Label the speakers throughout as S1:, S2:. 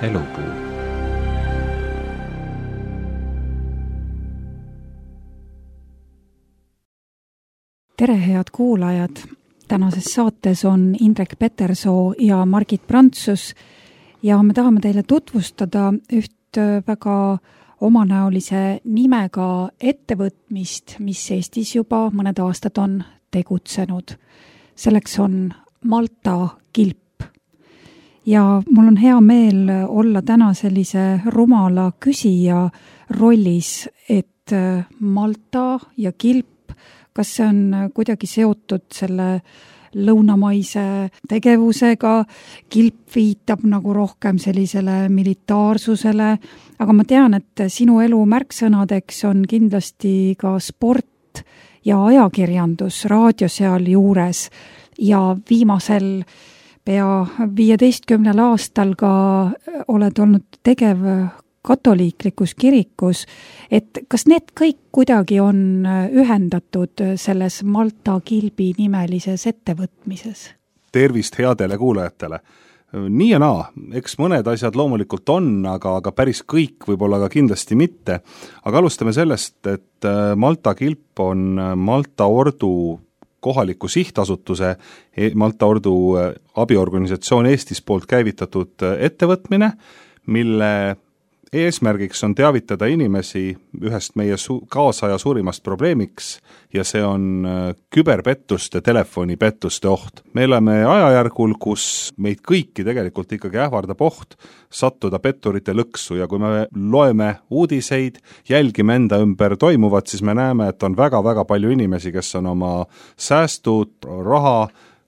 S1: elupuu.
S2: Tere, head kuulajad! Tänases saates on Indrek Petersoo ja Margit Prantsus ja me tahame teile tutvustada üht väga omanäolise nimega ettevõtmist, mis Eestis juba mõned aastad on tegutsenud. Selleks on Malta Kilp. Ja mul on hea meel olla täna sellise rumala küsija rollis, et Malta ja Kilp, kas see on kuidagi seotud selle lõunamaise tegevusega, Kilp viitab nagu rohkem sellisele militaarsusele, aga ma tean, et sinu elu märksõnadeks on kindlasti ka sport ja ajakirjandus, raadio seal juures ja viimasel pea 15 aastal ka oled olnud tegev katoliiklikus kirikus, et kas need kõik kuidagi on ühendatud selles Malta Kilbi nimelises ettevõtmises?
S3: Tervist headele kuulajatele! Nii ja naa, eks mõned asjad loomulikult on, aga päris kõik võib-olla ka kindlasti mitte. Aga alustame sellest, et Malta Kilp on Malta Ordu kohaliku sihtasutuse, Malta Ordu abiorganisatsioon Eestis poolt käivitatud ettevõtmine, mille eesmärgiks on teavitada inimesi ühest meie kaasaja suurimast probleemiks ja see on küberpettuste, telefonipettuste oht. Me elame ajajärgul, kus meid kõiki tegelikult ikkagi ähvardab oht sattuda petturite lõksu ja kui me loeme uudiseid, jälgime enda ümber toimuvat, siis me näeme, et on väga-väga palju inimesi, kes on oma säästud, raha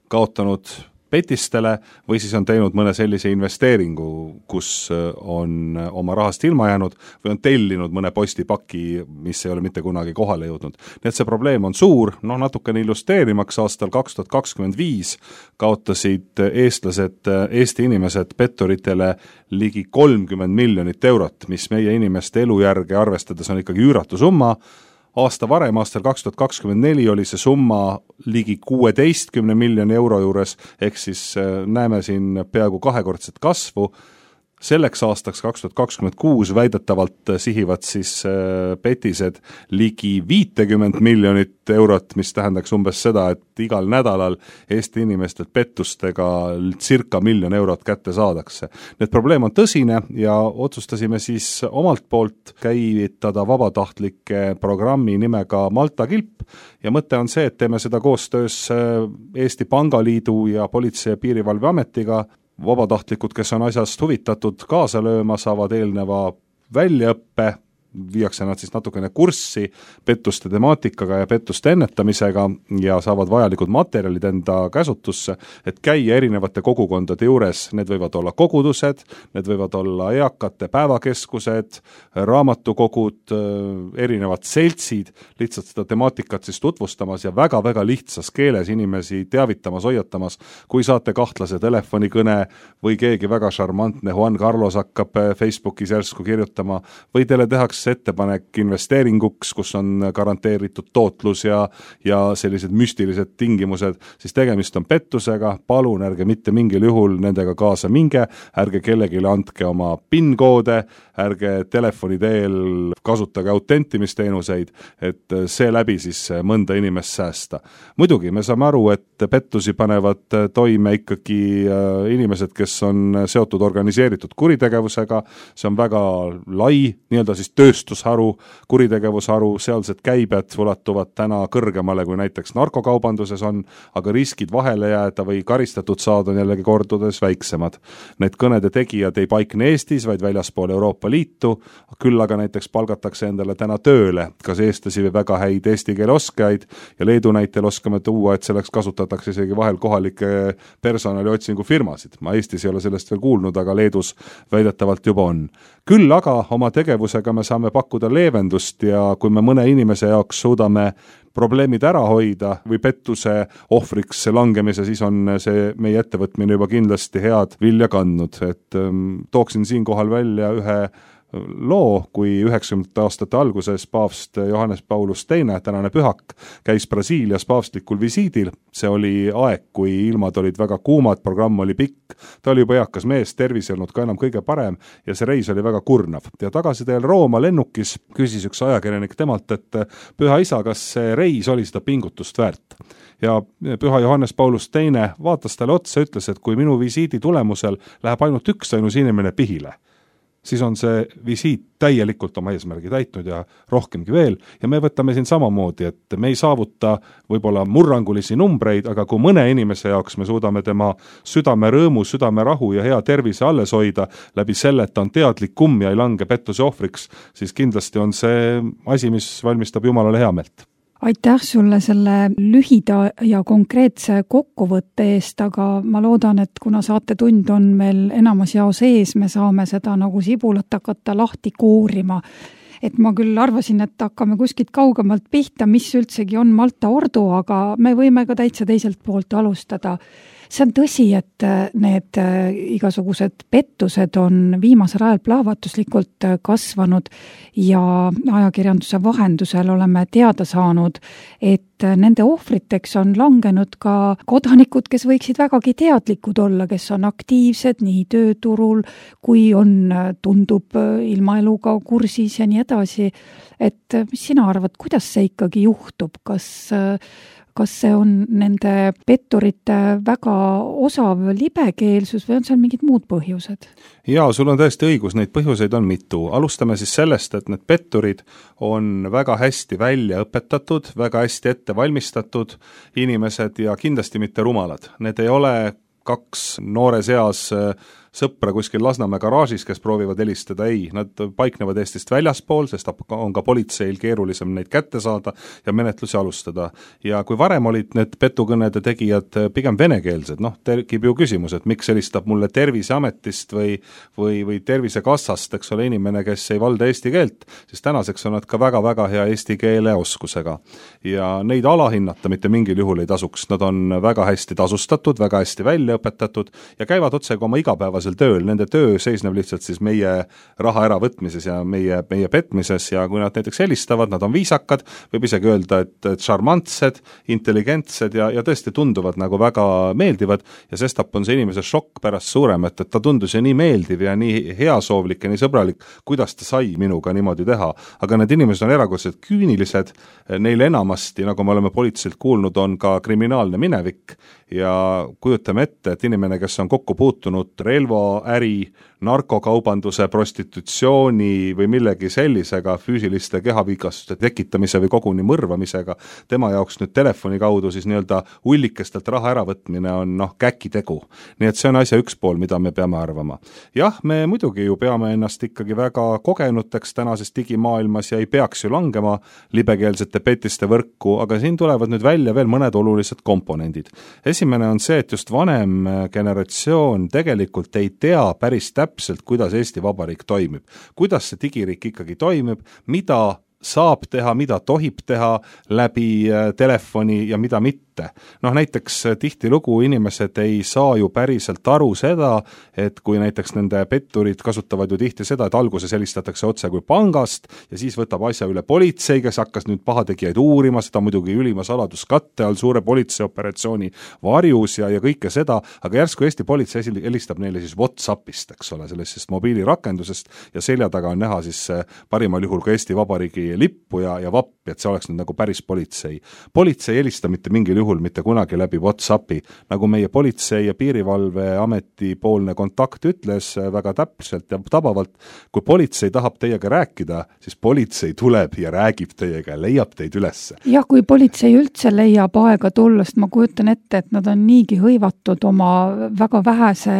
S3: kaotanud petistele või siis on teinud mõne sellise investeeringu, kus on oma rahast ilma jäänud või on tellinud mõne postipaki, mis ei ole mitte kunagi kohale jõudnud. Nii et see probleem on suur, natukene illustreerimaks aastal 2025 kaotasid eestlased, Eesti inimesed petturitele ligi 30 miljonit eurot, mis meie inimeste elujärge arvestades on ikkagi üüratu summa. Aasta varem, aastal 2024 oli see summa ligi 16 miljoni euro juures, ehk siis näeme siin peaaegu kahekordset kasvu. Selleks aastaks 2026 väidetavalt sihivad siis petised ligi 50 miljonit eurot, mis tähendaks umbes seda, et igal nädalal Eesti inimestelt pettustega circa 1 miljon eurot kätte saadakse. Need probleem on tõsine ja otsustasime siis omalt poolt käivitada vabatahtlike programmi nimega Malta Kilp ja mõte on see, et teeme seda koostöös Eesti Pangaliidu ja Politsei- ja Piirivalveametiga. Vabatahtlikud, kes on asjast huvitatud kaasa lööma, saavad eelneva väljaõppe, viiakse nad siis natukene kurssi pettuste temaatikaga ja pettuste ennetamisega ja saavad vajalikud materjalid enda käsutusse, et käia erinevate kogukondade juures. Need võivad olla kogudused, need võivad olla eakate päevakeskused, raamatukogud, erinevad seltsid, lihtsalt seda temaatikat siis tutvustamas ja väga-väga lihtsas keeles inimesi teavitamas, hoiatamas, kui saate kahtlase telefonikõne või keegi väga šarmantne Juan Carlos hakkab Facebookis järsku kirjutama või teile tehakse ettepanek investeeringuks, kus on garanteeritud tootlus ja sellised müstilised tingimused, siis tegemist on pettusega, palun ärge mitte mingil juhul nendega kaasa minge, ärge kellegile andke oma PIN-koode, ärge telefoni teel kasutage autentimisteenuseid, et see läbi siis mõnda inimest säästa. Muidugi me saame aru, et pettusi panevad toime ikkagi inimesed, kes on seotud organiseeritud kuritegevusega, see on väga lai, nii-öelda siis tööstusharu, kuritegevusharu, sealsed käibed ulatuvad täna kõrgemale kui näiteks narkokaubanduses on, aga riskid vahele jääda või karistatud saada on jällegi kordades väiksemad. Need kõnede tegijad ei paikne Eestis, vaid väljaspool Euroopa Liitu, küll aga näiteks palgatakse endale täna tööle, kas eestlasi või väga häid eesti keele oskajaid ja Leedu näitel oskame tuua, et selleks kasutatakse isegi vahel kohalike personali otsingufirmasid. Ma Eestis ei ole sellest veel kuulnud, aga Leedus väidetavalt juba on. Küll aga oma tegevusega me saame pakkuda leevendust ja kui me mõne inimese jaoks suudame probleemid ära hoida või pettuse ohvriks langemise, siis on see meie ettevõtmine juba kindlasti head vilja kandnud. Et tooksin siinkohal välja ühe loo, kui 90. aastate alguses paavst Johannes Paulus II, tänane pühak, käis Brasiilias paavstlikul visiidil. See oli aeg, kui ilmad olid väga kuumad, programm oli pikk, ta oli juba eakas mees, tervis ei olnud ka enam kõige parem ja see reis oli väga kurnav. Ja tagasi teel Rooma lennukis küsis üks ajakirjanik temalt, et püha isa, kas see reis oli seda pingutust väärt? Ja püha Johannes Paulus II vaatas talle otsa, ütles, et kui minu visiidi tulemusel läheb ainult ainus inimene pihile, siis on see visiit täielikult oma eesmärgi täitnud ja rohkemgi veel. Ja me võtame siin samamoodi, et me ei saavuta võib-olla murrangulisi numbreid, aga kui mõne inimese jaoks me suudame tema südame rõõmu, südame rahu ja hea tervise alles hoida läbi selle, et ta on teadlikum ja ei lange pettuse ohvriks, siis kindlasti on see asi, mis valmistab Jumalale hea meelt.
S2: Aitäh sulle selle lühida ja konkreetse kokkuvõtte eest, aga ma loodan, et kuna saatetund on meil enamus jaos ees, me saame seda nagu sibulat hakata lahti koorima. Et ma küll arvasin, et hakkame kuskilt kaugemalt pihta, mis üldsegi on Malta ordu, aga me võime ka täitsa teiselt poolt alustada. See on tõsi, et need igasugused pettused on viimasel ajal plahvatuslikult kasvanud ja ajakirjanduse vahendusel oleme teada saanud, et nende ohvriteks on langenud ka kodanikud, kes võiksid vägagi teadlikud olla, kes on aktiivsed nii tööturul, kui tundub ilmaeluga kursis ja nii edasi. Et mis sina arvad, kuidas see ikkagi juhtub? Kas see on nende petturite väga osav libekeelsus või on seal mingid muud põhjused?
S3: Jaa, sul on tõesti õigus, neid põhjuseid on mitu. Alustame siis sellest, et need petturid on väga hästi välja õpetatud, väga hästi ette valmistatud inimesed ja kindlasti mitte rumalad. Need ei ole kaks noores eas sõpra kuskil Lasnamäe garaažis, kes proovivad helistada, ei, nad paiknevad Eestist väljaspool, sest on ka politseil keerulisem neid kätte saada ja menetlusi alustada. Ja kui varem olid need petukõnede tegijad pigem venekeelsed, tekib ju küsimus, et miks helistab mulle Terviseametist või Tervisekassast, eks ole, inimene, kes ei valda eesti keelt, siis tänaseks on nad ka väga-väga hea eesti keele oskusega. Ja neid alahinnata mitte mingil juhul ei tasuks, nad on väga hästi tasustatud, väga hästi välja õpetatud ja käivad otsega oma igapäevasel tööl, nende töö seisneb lihtsalt siis meie raha äravõtmises ja meie petmises ja kui nad näiteks helistavad, nad on viisakad, võib isegi öelda, et charmantsed, intelligentsed ja tõesti tunduvad nagu väga meeldivad ja sestap on see inimese šokk pärast suurem, et ta tundus ju nii meeldiv ja nii heasoovlik ja nii sõbralik, kuidas ta sai minuga niimoodi teha. Aga need inimesed on erakordselt küünilised, neil enamasti, nagu me oleme politseilt kuulnud, on ka kriminaalne minevik ja kujutame ette, et inimene, kes on kokku puutunud relvaäri, narkokaubanduse, prostitutsiooni või millegi sellisega, füüsiliste kehavigastuste tekitamise või koguni mõrvamisega, tema jaoks nüüd telefoni kaudu siis nii-öelda ullikestelt raha äravõtmine on käkitegu. Nii et see on asja üks pool, mida me peame arvama. Jah, me muidugi ju peame ennast ikkagi väga kogenuteks tänases digimaailmas ja ei peaks ju langema libekeelsete petiste võrku, aga siin tulevad nüüd välja veel mõned olulised komponendid. Esimene on see, et just vanem generatsioon tegelikult ei tea päris täpselt, kuidas Eesti Vabariik toimib. Kuidas see digiriik ikkagi toimib, mida saab teha, mida tohib teha läbi telefoni ja mida mitte. Näiteks tihtilugu inimesed ei saa ju päriselt aru seda, et kui näiteks nende petturid kasutavad ju tihti seda, et alguses helistatakse otse kui pangast ja siis võtab asja üle politsei, kes hakkas nüüd pahategijaid uurima, seda muidugi ülima saladuskatte all suure politseioperatsiooni varjus ja kõike seda, aga järsku Eesti politsei helistab neile siis WhatsAppist, eks ole, sellisest mobiilirakendusest ja selja taga on näha siis parimal juhul ka Eesti Vabariigi lippu ja vappi, et see oleks nüüd nagu päris politsei. Politsei ei helista mitte mingil juhul mitte kunagi läbi WhatsAppi, nagu meie politsei- ja piirivalveameti poolne kontakt ütles väga täpselt ja tabavalt, kui politsei tahab teiega rääkida, siis politsei tuleb ja räägib teiega ja leiab teid üles.
S2: Jah, kui politsei üldse leiab aega tullast, ma kujutan ette, et nad on niigi hõivatud oma väga vähese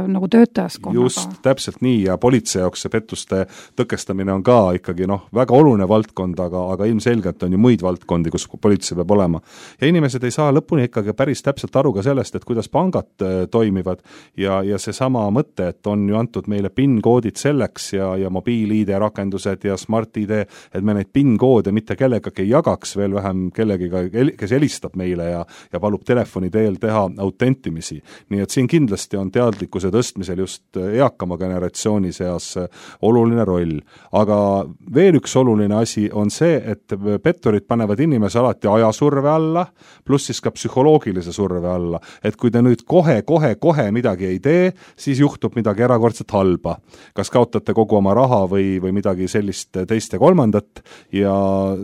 S2: nagu töötajaskonnaga.
S3: Just, täpselt nii ja politsei jaoks see pettuste tõkestamine on ka ikkagi väga väga oluline valdkond, aga ilmselgelt on ju muid valdkondi, kus politsei peab olema. Ja inimesed ei saa lõpuni ikkagi päris täpselt aru ka sellest, et kuidas pangad toimivad ja see sama mõte, et on ju antud meile PIN-koodid selleks ja mobiil-ID rakendused ja Smart-ID, et me neid PIN-koode mitte kellegagi ei jagaks, veel vähem kellegiga, kes helistab meile ja palub telefoni teel teha autentimisi. Nii et siin kindlasti on teadlikkuse tõstmisel just eakama generatsiooni seas oluline roll. Aga veel üks oluline asi on see, et petturid panevad inimese alati ajasurve alla, pluss siis ka psühholoogilise surve alla, et kui te nüüd kohe midagi ei tee, siis juhtub midagi erakordselt halba. Kas kaotate kogu oma raha või midagi sellist teist ja kolmandat ja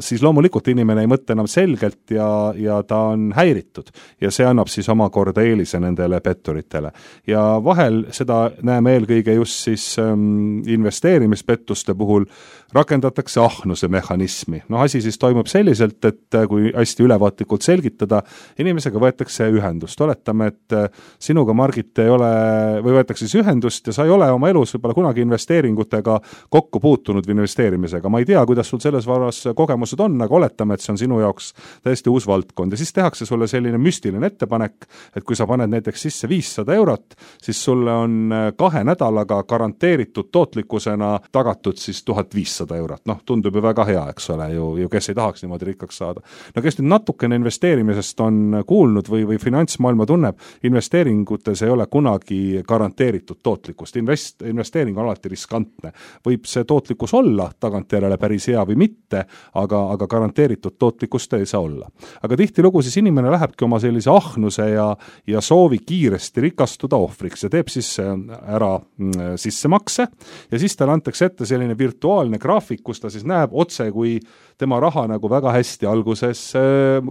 S3: siis loomulikult inimene ei mõtle enam selgelt ja ta on häiritud ja see annab siis omakorda eelise nendele petturitele. Ja vahel seda näeme eelkõige just siis investeerimispettuste puhul rakendatakse ahnuse mehhanismi. Asi siis toimub selliselt, et kui hästi ülevaatlikult selgitada, inimesega võetakse ühendust. Oletame, et sinuga, Margit, ei ole, või võetakse siis ühendust ja sa ei ole oma elus võib-olla kunagi investeeringutega kokku puutunud või investeerimisega. Ma ei tea, kuidas sul selles varas kogemused on, aga oletame, et see on sinu jaoks täiesti uus valdkond. Ja siis tehakse sulle selline müstiline ettepanek, et kui sa paned näiteks sisse 500 eurot, siis sulle on 2 nädalaga garanteeritud tootlikkusena tagatud siis 1500 eurot. Tundub ju väga hea, eks ole, ju kes ei tahaks niimoodi rikkaks saada. Kes nüüd natukene investeerimisest on kuulnud või finantsmaailma tunneb, investeeringutes ei ole kunagi garanteeritud tootlikkust. Investeering on alati riskantne. Võib see tootlikkus olla tagantjärele päris hea või mitte, aga garanteeritud tootlikkust ei saa olla. Aga tihtilugu siis inimene lähebki oma sellise ahnuse ja soovi kiiresti rikastuda ohvriks ja teeb siis ära sissemakse ja siis talle antakse ette selline virtuaalne graafik, kus ta siis näeb otse, kui tema raha nagu väga hästi alguses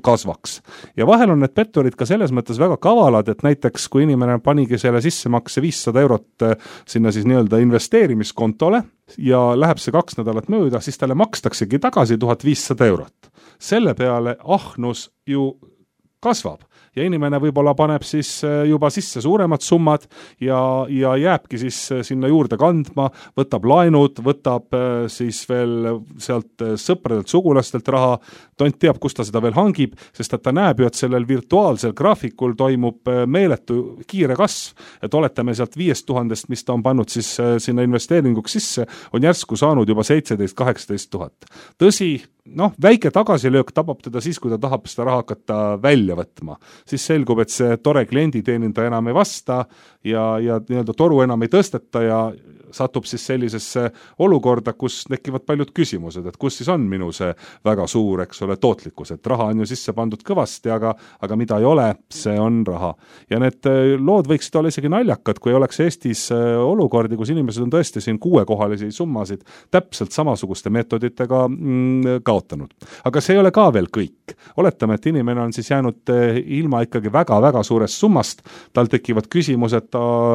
S3: kasvaks. Ja vahel on need petturid ka selles mõttes väga kavalad, et näiteks kui inimene panigi selle sissemakse 500 eurot sinna siis nii-öelda investeerimiskontole ja läheb see 2 nädalat mööda, siis talle makstaksegi tagasi 1500 eurot. Selle peale ahnus ju kasvab ja inimene võib-olla paneb siis juba sisse suuremad summad ja jääbki siis sinna juurde kandma, võtab laenud, võtab siis veel sealt sõpradelt, sugulastelt raha, tont teab, kus ta seda veel hangib, sest et ta näeb ju, et sellel virtuaalsel graafikul toimub meeletu kiire kasv, et oletame sealt 5000, mis ta on pannud siis sinna investeeringuks sisse, on järsku saanud juba 17-18 000. Tõsi, väike tagasilöök tabab teda siis, kui ta tahab seda raha hakata välja võtma. Siis selgub, et see tore klienditeenindaja enam ei vasta ja nii-öelda toru enam ei tõsteta ja satub siis sellisesse olukorda, kus tekivad paljud küsimused, et kus siis on minu see väga suur, eks ole, tootlikkus, et raha on ju sisse pandud kõvasti, aga mida ei ole, see on raha. Ja need lood võiksid olla isegi naljakad, kui oleks Eestis olukordi, kus inimesed on tõesti siin 6-kohalisi summasid täpselt samasuguste meetoditega kaotanud. Aga see ei ole ka veel kõik. Oletame, et inimene on siis jäänud ilma ikkagi väga-väga suurest summast, tal tekivad küsimused,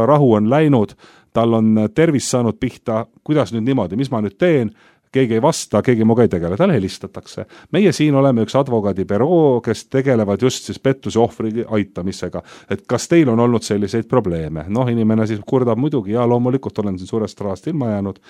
S3: rahu on läinud, tal on tervis saanud pihta, kuidas nüüd niimoodi, mis ma nüüd teen, keegi ei vasta, keegi muga ei tegele, tal helistatakse. Meie siin oleme üks advokaadibüroo, kes tegelevad just siis pettuse ohvri aitamisega, et kas teil on olnud selliseid probleeme. Inimene siis kurdab muidugi, ja loomulikult olen siin suurest rahast ilma jäänud,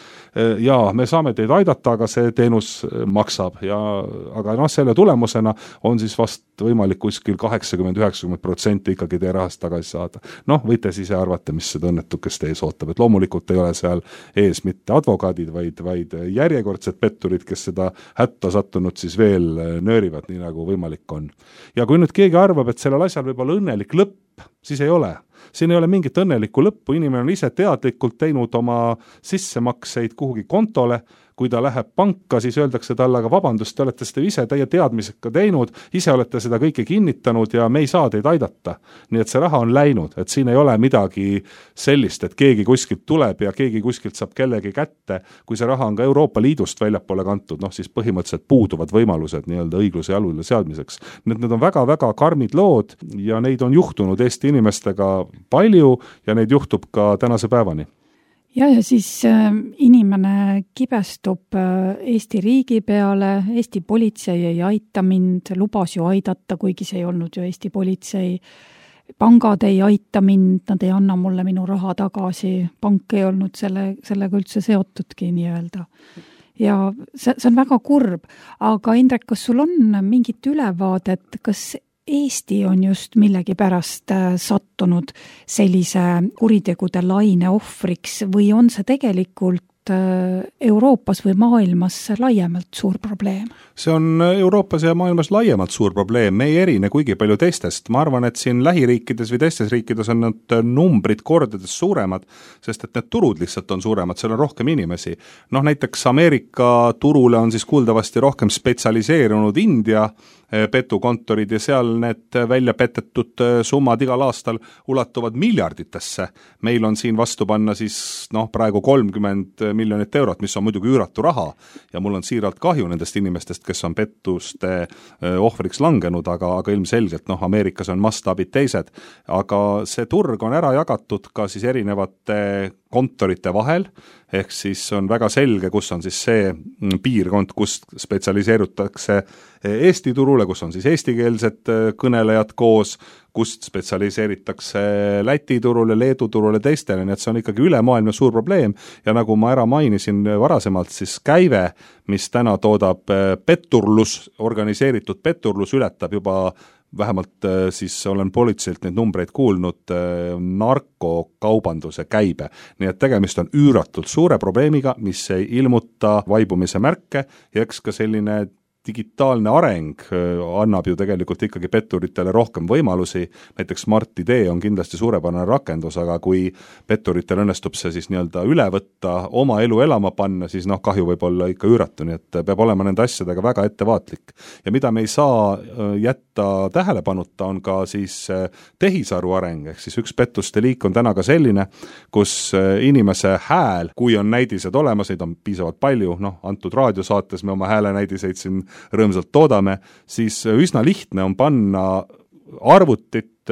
S3: ja me saame teid aidata, aga see teenus maksab, aga selle tulemusena on siis vast võimalik kuskil 80-90% ikkagi teie rahast tagasi saada. Võite siis arvata, mis seda õnnetukest ees ootab, et loomulikult ei ole seal ees mitte advokaadid, vaid järjekordsed petturid, kes seda hätta sattunud siis veel nöörivad, nii nagu võimalik on. Ja kui nüüd keegi arvab, et sellel asjal võib olla õnnelik lõpp, siis ei ole. Siin ei ole mingit õnnelikku lõppu, inimene on ise teadlikult teinud oma sissemakseid kuhugi kontole, kui ta läheb panka, siis öeldakse talle, aga vabandust, te olete seda ise teie teadmisega teinud, ise olete seda kõike kinnitanud ja me ei saa teid aidata. Nii et see raha on läinud, et siin ei ole midagi sellist, et keegi kuskilt tuleb ja keegi kuskilt saab kellegi kätte. Kui see raha on ka Euroopa Liidust väljapoole kantud, siis põhimõtteliselt puuduvad võimalused nii-öelda õigluse jalule seadmiseks. Need on väga-väga karmid lood ja neid on juhtunud Eesti inimestega palju ja neid juhtub ka tänase päevani.
S2: Ja siis inimene kibestub Eesti riigi peale, Eesti politsei ei aita mind, lubas ju aidata, kuigi see ei olnud ju Eesti politsei. Pangad ei aita mind, nad ei anna mulle minu raha tagasi, pank ei olnud sellega üldse seotudki nii-öelda. ja see on väga kurb, aga Indrek, kas sul on mingit ülevaadet, kas Eesti on just millegipärast sattunud sellise kuritegude laine ohvriks või on see tegelikult Euroopas või maailmas laiemalt suur probleem?
S3: See on Euroopas ja maailmas laiemalt suur probleem, me ei erine kuigi palju teistest. Ma arvan, et siin lähiriikides või teistes riikides on need numbrid kordades suuremad, sest et need turud lihtsalt on suuremad, seal on rohkem inimesi. Näiteks Ameerika turule on siis kuuldavasti rohkem spetsialiseerunud India petukontorid ja seal need välja petetud summad igal aastal ulatuvad miljarditesse. Meil on siin vastu panna siis praegu 30 miljonit eurot, mis on muidugi üüratu raha ja mul on siiralt kahju nendest inimestest, kes on pettuste ohvriks langenud, aga ilmselgelt Ameerikas on mastaabid teised, aga see turg on ära jagatud ka siis erinevate kontorite vahel, ehk siis on väga selge, kus on siis see piirkond, kus spetsialiseerutakse Eesti turule, kus on siis eestikeelsed kõnelejad koos, kust spetsialiseeritakse Läti turule, Leedu turule, teistele, nii et see on ikkagi ülemaailmne suur probleem ja nagu ma ära mainisin varasemalt, siis käive, mis täna toodab petturlus, organiseeritud petturlus ületab juba vähemalt siis olen politseilt neid numbreid kuulnud narkokaubanduse käibe. Nii et tegemist on üüratult suure probleemiga, mis ei ilmuta vaibumise märke ja eks ka selline digitaalne areng annab ju tegelikult ikkagi petturitele rohkem võimalusi, näiteks Smart ID on kindlasti suurepärane rakendus, aga kui petturitel õnnestub see siis nii-öelda üle võtta, oma elu elama panna, siis kahju võib olla ikka üüratu, nii et peab olema nende asjadega väga ettevaatlik. Ja mida me ei saa jätta tähelepanuta, on ka siis tehisaru areng, ehk siis üks pettuste liik on täna ka selline, kus inimese hääl, kui on näidised olemas, neid on piisavalt palju, antud raadiosaates me oma häälenäidiseid siin rõõmsalt toodame, siis üsna lihtne on panna arvutit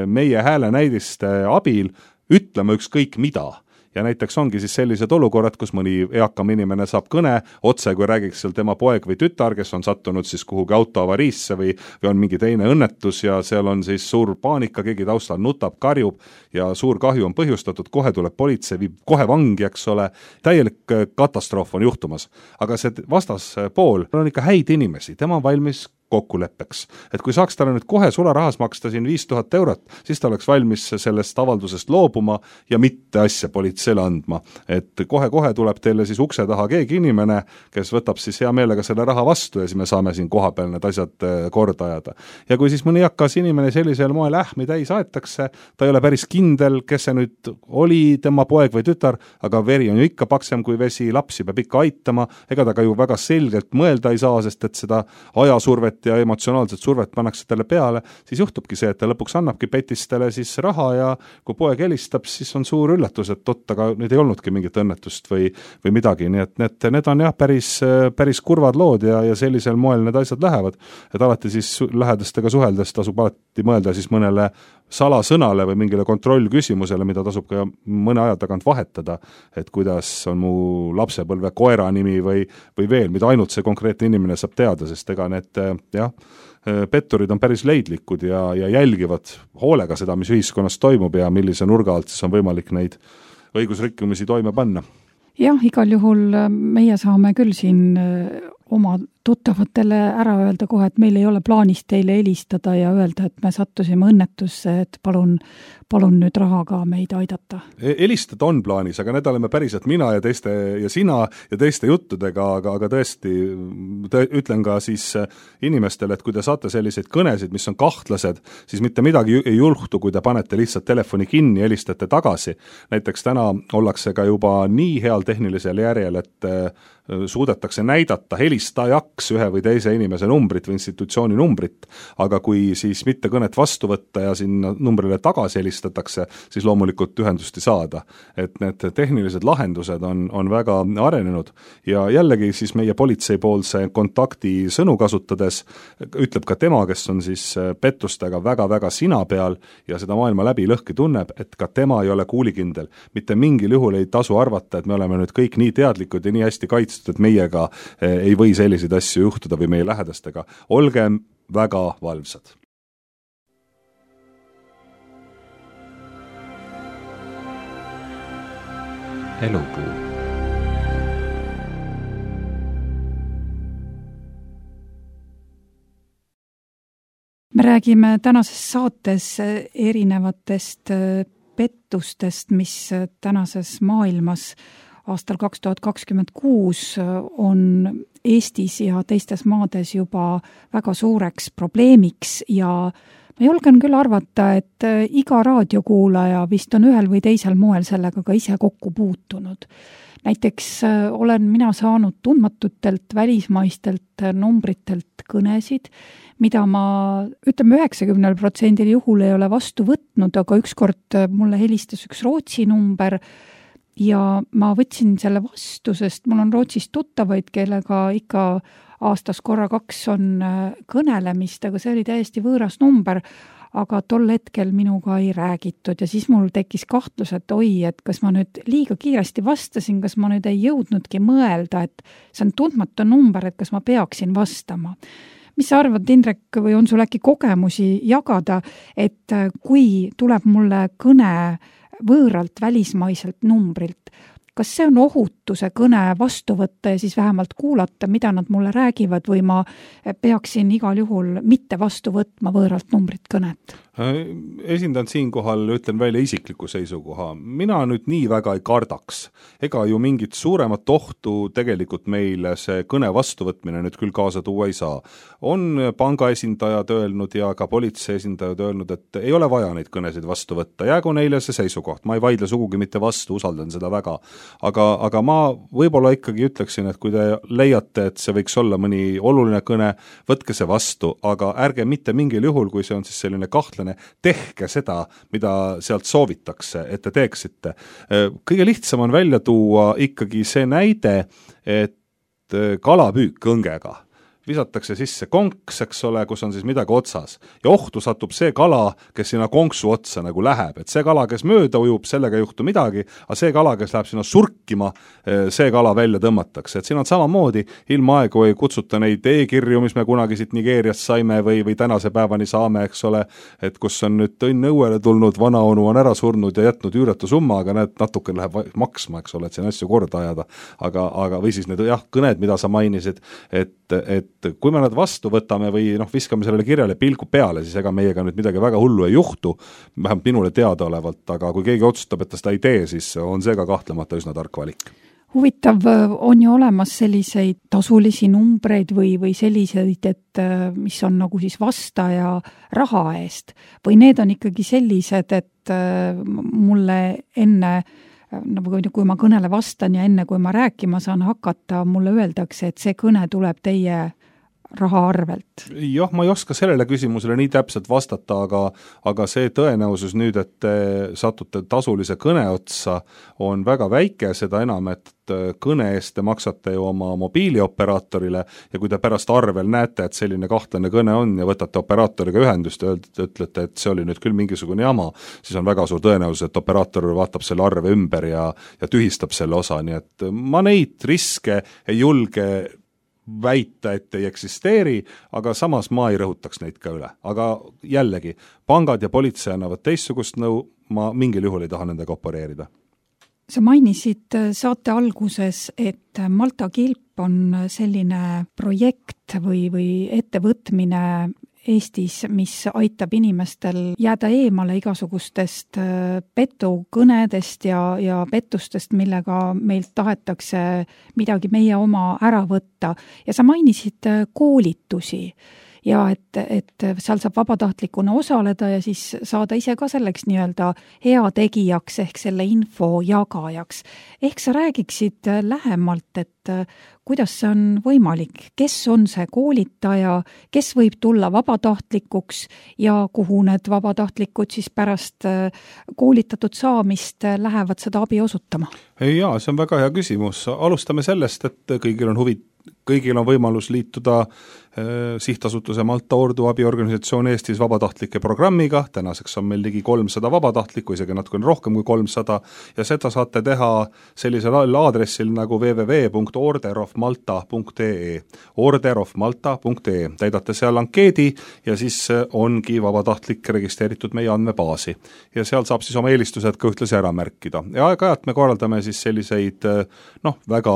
S3: meie häälenäidiste abil ütlema ükskõik mida. Ja näiteks ongi siis sellised olukorrad, kus mõni eakam inimene saab kõne otse, kui räägiks seal tema poeg või tütar, kes on sattunud siis kuhugi autoavariisse või on mingi teine õnnetus ja seal on siis suur paanika, keegi taustal nutab, karjub ja suur kahju on põhjustatud, kohe tuleb politsei, viib kohe vangi, eks ole, täielik katastroof on juhtumas. Aga see vastaspool on ikka häid inimesi, tema on valmis kokkuleppeks. Et kui saaks talle nüüd kohe sularahas maksta siin 5000 eurot, siis ta oleks valmis sellest avaldusest loobuma ja mitte asja politseile andma. Et kohe-kohe tuleb teile siis ukse taha keegi inimene, kes võtab siis hea meelega selle raha vastu ja siis me saame siin kohapeal need asjad korda ajada. Ja kui siis mõni hakkas inimene sellisel moel ähmi täis aetakse, ta ei ole päris kindel, kes see nüüd oli tema poeg või tütar, aga veri on ju ikka paksem kui vesi, lapsi peab ikka aitama, ega ta ka ju väga selgelt mõelda ei saa, sest et seda ajasurvet ja emotsionaalset survet pannakse talle peale, siis juhtubki see, et ta lõpuks annabki petistele siis raha ja kui poeg helistab, siis on suur üllatus, et aga nüüd ei olnudki mingit õnnetust või midagi, nii et need on jah päris kurvad lood ja sellisel moel need asjad lähevad, et alati siis lähedastega suheldes tasub alati mõelda siis mõnele salasõnale või mingile kontrollküsimusele, mida tasub ka mõne aja tagant vahetada, et kuidas on mu lapsepõlve koera nimi või veel, mida ainult see konkreetne inimene saab teada, sest ega need petturid on päris leidlikud ja jälgivad hoolega seda, mis ühiskonnas toimub ja millise nurga alt siis on võimalik neid õigusrikkumisi toime panna.
S2: Jah, igal juhul meie saame küll siin oma tuttavatele ära öelda kohe, et meil ei ole plaanis teile helistada ja öelda, et me sattusime õnnetusse, et palun nüüd rahaga meid aidata.
S3: Helistada on plaanis, aga need oleme päriselt mina ja sina ja teiste juttudega, aga tõesti ütlen ka siis inimestele, et kui te saate selliseid kõnesid, mis on kahtlased, siis mitte midagi ei juhtu, kui te panete lihtsalt telefoni kinni ja helistate tagasi. Näiteks täna ollakse ka juba nii heal tehnilisel järjel, et suudetakse näidata helistajaks ühe või teise inimese numbrit või institutsiooni numbrit, aga kui siis mitte kõnet vastu võtta ja sinna numbrile tagasi helistatakse, siis loomulikult ühendust ei saada. Et need tehnilised lahendused on väga arenenud ja jällegi siis meie politseipoolse kontakti sõnu kasutades ütleb ka tema, kes on siis pettustega väga-väga sina peal ja seda maailma läbi lõhki tunneb, et ka tema ei ole kuulikindel. Mitte mingil juhul ei tasu arvata, et me oleme nüüd kõik nii teadlikud ja nii hästi kaitstud, et meiega ei või selliseid asju juhtuda või meie lähedastega. Olgem väga valvsad.
S1: Elupuu.
S2: räägime tänases saates erinevatest pettustest, mis tänases maailmas aastal 2026 on Eestis ja teistes maades juba väga suureks probleemiks ja ma julgen küll arvata, et iga raadiokuulaja vist on ühel või teisel moel sellega ka ise kokku puutunud. Näiteks olen mina saanud tundmatutelt välismaistelt numbritelt kõnesid, mida ma, ütleme 90% juhul ei ole vastu võtnud, aga ükskord mulle helistas üks Rootsi number ja ma võtsin selle vastu, sest mul on Rootsis tuttavaid, kellega ikka aastas korra 2 on kõnelemist, aga see oli täiesti võõras number, aga tol hetkel minuga ei räägitud ja siis mul tekkis kahtlus, et oi, et kas ma nüüd liiga kiiresti vastasin, kas ma nüüd ei jõudnudki mõelda, et see on tundmatu number, et kas ma peaksin vastama. Mis sa arvad, Indrek, või on sul äkki kogemusi jagada, et kui tuleb mulle kõne võõralt välismaiselt numbrilt, kas see on ohutu see kõne vastu võtta ja siis vähemalt kuulata, mida nad mulle räägivad või ma peaksin igal juhul mitte vastu võtma võõralt numbrit kõnet?
S3: Esindan siinkohal, ütlen välja isikliku seisukoha. Mina nüüd nii väga ei kardaks. Ega ju mingit suuremat ohtu tegelikult meile see kõne vastuvõtmine nüüd küll kaasa tuua ei saa. On panga esindajad öelnud ja ka politsei esindajad öelnud, et ei ole vaja neid kõnesid vastu võtta. Jäägu neile see seisukoht. Ma ei vaidle sugugi mitte vastu, usaldan seda väga. Aga ma võib-olla ikkagi ütleksin, et kui te leiate, et see võiks olla mõni oluline kõne, võtke see vastu, aga ärge mitte mingil juhul, kui see on siis selline kahtlane, tehke seda, mida sealt soovitakse, et te teeksite. Kõige lihtsam on välja tuua ikkagi see näide, et kalapüük õngega visatakse sisse konks, eks ole, kus on siis midagi otsas. Ja ohtu satub see kala, kes sinna konksu otsa nagu läheb. Et see kala, kes mööda ujub, sellega ei juhtu midagi, aga see kala, kes läheb sinna surkima, see kala välja tõmmatakse. Et siin on samamoodi, ilma aegu ei kutsuta neid e-kirju, mis me kunagi siit Nigeeriast saime või tänase päevani saame, eks ole, et kus on nüüd õnn õuele tulnud, vanaonu on ära surnud ja jätnud üüratu summa, aga need natuke läheb maksma, eks ole, et siin asju korda ajada. Aga või siis need kõned, mida sa mainisid, et kui me nad vastu võtame või viskame sellele kirjale pilgu peale, siis ega meiega nüüd midagi väga hullu ei juhtu, vähemalt minule teadaolevalt, aga kui keegi otsustab, et ta seda ei tee, siis on see ka kahtlemata üsna tark valik.
S2: Huvitav, on ju olemas selliseid tasulisi numbreid või selliseid, et mis on nagu siis vastaja raha eest või need on ikkagi sellised, et mulle enne kui ma kõnele vastan ja enne kui ma rääkima saan hakata, mulle öeldakse, et see kõne tuleb teie raha arvelt?
S3: Jah, ma ei oska sellele küsimusele nii täpselt vastata, aga see tõenäosus nüüd, et te satute tasulise kõne otsa, on väga väike, seda enam, et kõne eest te maksate ju oma mobiilioperaatorile ja kui te pärast arvel näete, et selline kahtlane kõne on ja võtate operaatoriga ühendust ja ütlete, et see oli nüüd küll mingisugune jama, siis on väga suur tõenäosus, et operaator vaatab selle arve ümber ja tühistab selle osa, nii et ma neid riske ei julge väita, et ei eksisteeri, aga samas ma ei rõhutaks neid ka üle. Aga jällegi, pangad ja politsei annavad teistsugust nõu, ma mingil juhul ei taha nendega opereerida.
S2: Sa mainisid saate alguses, et Malta Kilp on selline projekt või ettevõtmine Eestis, mis aitab inimestel jääda eemale igasugustest petukõnedest ja pettustest, millega meilt tahetakse midagi meie oma ära võtta. Ja sa mainisid koolitusi ja et seal saab vabatahtlikuna osaleda ja siis saada ise ka selleks nii-öelda heategijaks ehk selle info jagajaks. Ehk sa räägiksid lähemalt, et kuidas see on võimalik, kes on see koolitaja, kes võib tulla vabatahtlikuks ja kuhu need vabatahtlikud siis pärast koolitatud saamist lähevad seda abi osutama?
S3: Jaa, see on väga hea küsimus. Alustame sellest, et kõigil on võimalus liituda sihtasutuse Malta Ordu abiorganisatsioon Eestis vabatahtlike programmiga, tänaseks on meil ligi 300 vabatahtlikku, isegi natukene rohkem kui 300 ja seda saate teha sellisel aadressil nagu www.orderofmalta.ee orderofmalta.ee, täidate seal ankeedi ja siis ongi vabatahtlik registreeritud meie andmebaasi ja seal saab siis oma eelistused ka ühtlasi ära märkida ja aeg-ajalt me korraldame siis selliseid väga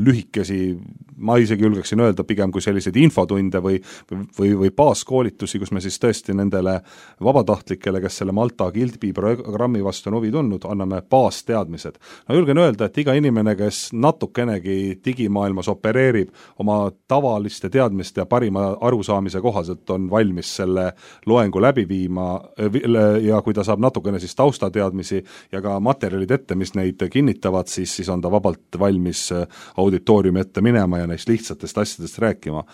S3: lühikesi, ma isegi julgeksin öelda pigem kui selliseid selliseid infotunde või baaskoolitusi, kus me siis tõesti nendele vabatahtlikele, kes selle Malta Kilpi programmi vastu on huvi tundnud, anname baasteadmised. No julgen öelda, et iga inimene, kes natukenegi digimaailmas opereerib, oma tavaliste teadmiste ja parima arusaamise kohaselt on valmis selle loengu läbi viima ja kui ta saab natukene siis taustateadmisi ja ka materjalid ette, mis neid kinnitavad, siis on ta vabalt valmis auditooriumi ette minema ja neist lihtsatest asjadest rääkima.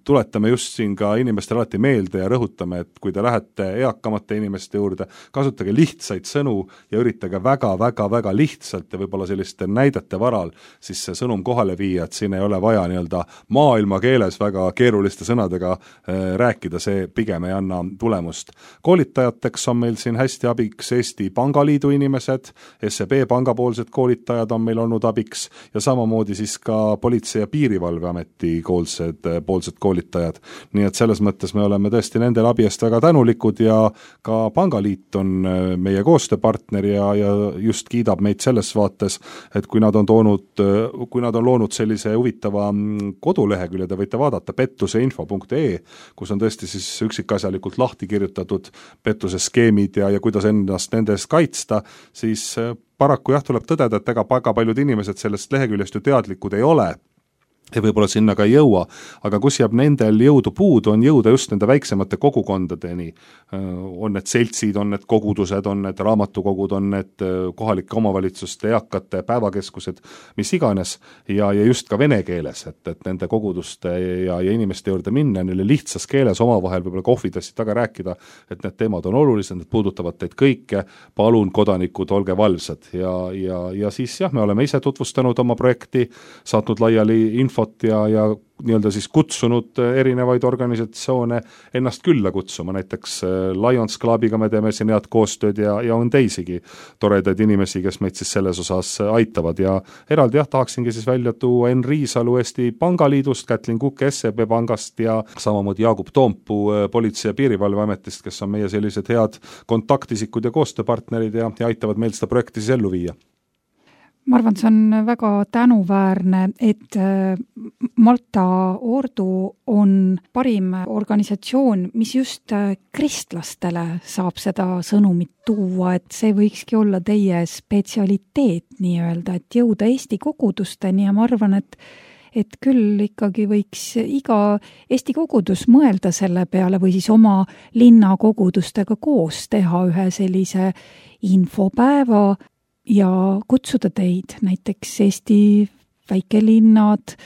S3: Tuletame just siin ka inimestele alati meelde ja rõhutame, et kui te lähete eakamate inimeste juurde, kasutage lihtsaid sõnu ja üritage väga lihtsalt ja võib-olla selliste näidete varal siis see sõnum kohale viia, et siin ei ole vaja nii-öelda maailma keeles väga keeruliste sõnadega rääkida, see pigem ei anna tulemust. Koolitajateks on meil siin hästi abiks Eesti Pangaliidu inimesed, SEB pangapoolsed koolitajad on meil olnud abiks ja samamoodi siis ka Politsei- ja Piirivalveameti poolsed koolitajad. Nii et selles mõttes me oleme tõesti nendel abi eest väga tänulikud ja ka Pangaliit on meie koostööpartner ja just kiidab meid selles vaates, et kui nad on loonud sellise huvitava kodulehekülje, te võite vaadata pettuseinfo.ee, kus on tõesti siis üksikasjalikult lahti kirjutatud pettuse skeemid ja kuidas ennast nendes kaitsta, siis paraku tuleb tõdeda, et ega väga paljud inimesed sellest leheküljest ju teadlikud ei ole ja võib-olla sinna ka ei jõua, aga kus jääb nendel jõudu puudu, on jõuda just nende väiksemate kogukondadeni. On need seltsid, on need kogudused, on need raamatukogud, on need kohalike omavalitsuste eakate päevakeskused, mis iganes, ja just ka vene keeles, et nende koguduste ja inimeste juurde minna, neile lihtsas keeles omavahel võib-olla kohvidassi taga rääkida, et need teemad on olulised, need puudutavad teid kõike, palun kodanikud, olge valvsad. Ja siis me oleme ise tutvustanud oma projekti, saatnud laiali infot ja nii-öelda siis kutsunud erinevaid organisatsioone ennast külla kutsuma, näiteks Lions Clubiga me teeme siin head koostööd ja on teisigi toredaid inimesi, kes meid siis selles osas aitavad ja eraldi tahaksingi siis välja tuua Enn Riisalu Eesti Pangaliidust, Kätlin Kukk SEB Pangast ja samamoodi Jaagup Toompuu Politsei- ja Piirivalveametist, kes on meie sellised head kontaktisikud ja koostööpartnerid ja aitavad meil seda projekti siis ellu viia.
S2: Ma arvan, see on väga tänuväärne, et Malta Ordu on parim organisatsioon, mis just kristlastele saab seda sõnumit tuua, et see võikski olla teie spetsialiteet nii-öelda, et jõuda Eesti kogudusteni ja ma arvan, et küll ikkagi võiks iga Eesti kogudus mõelda selle peale või siis oma linnakogudustega koos teha ühe sellise infopäeva ja kutsuda teid, näiteks Eesti väikelinnad,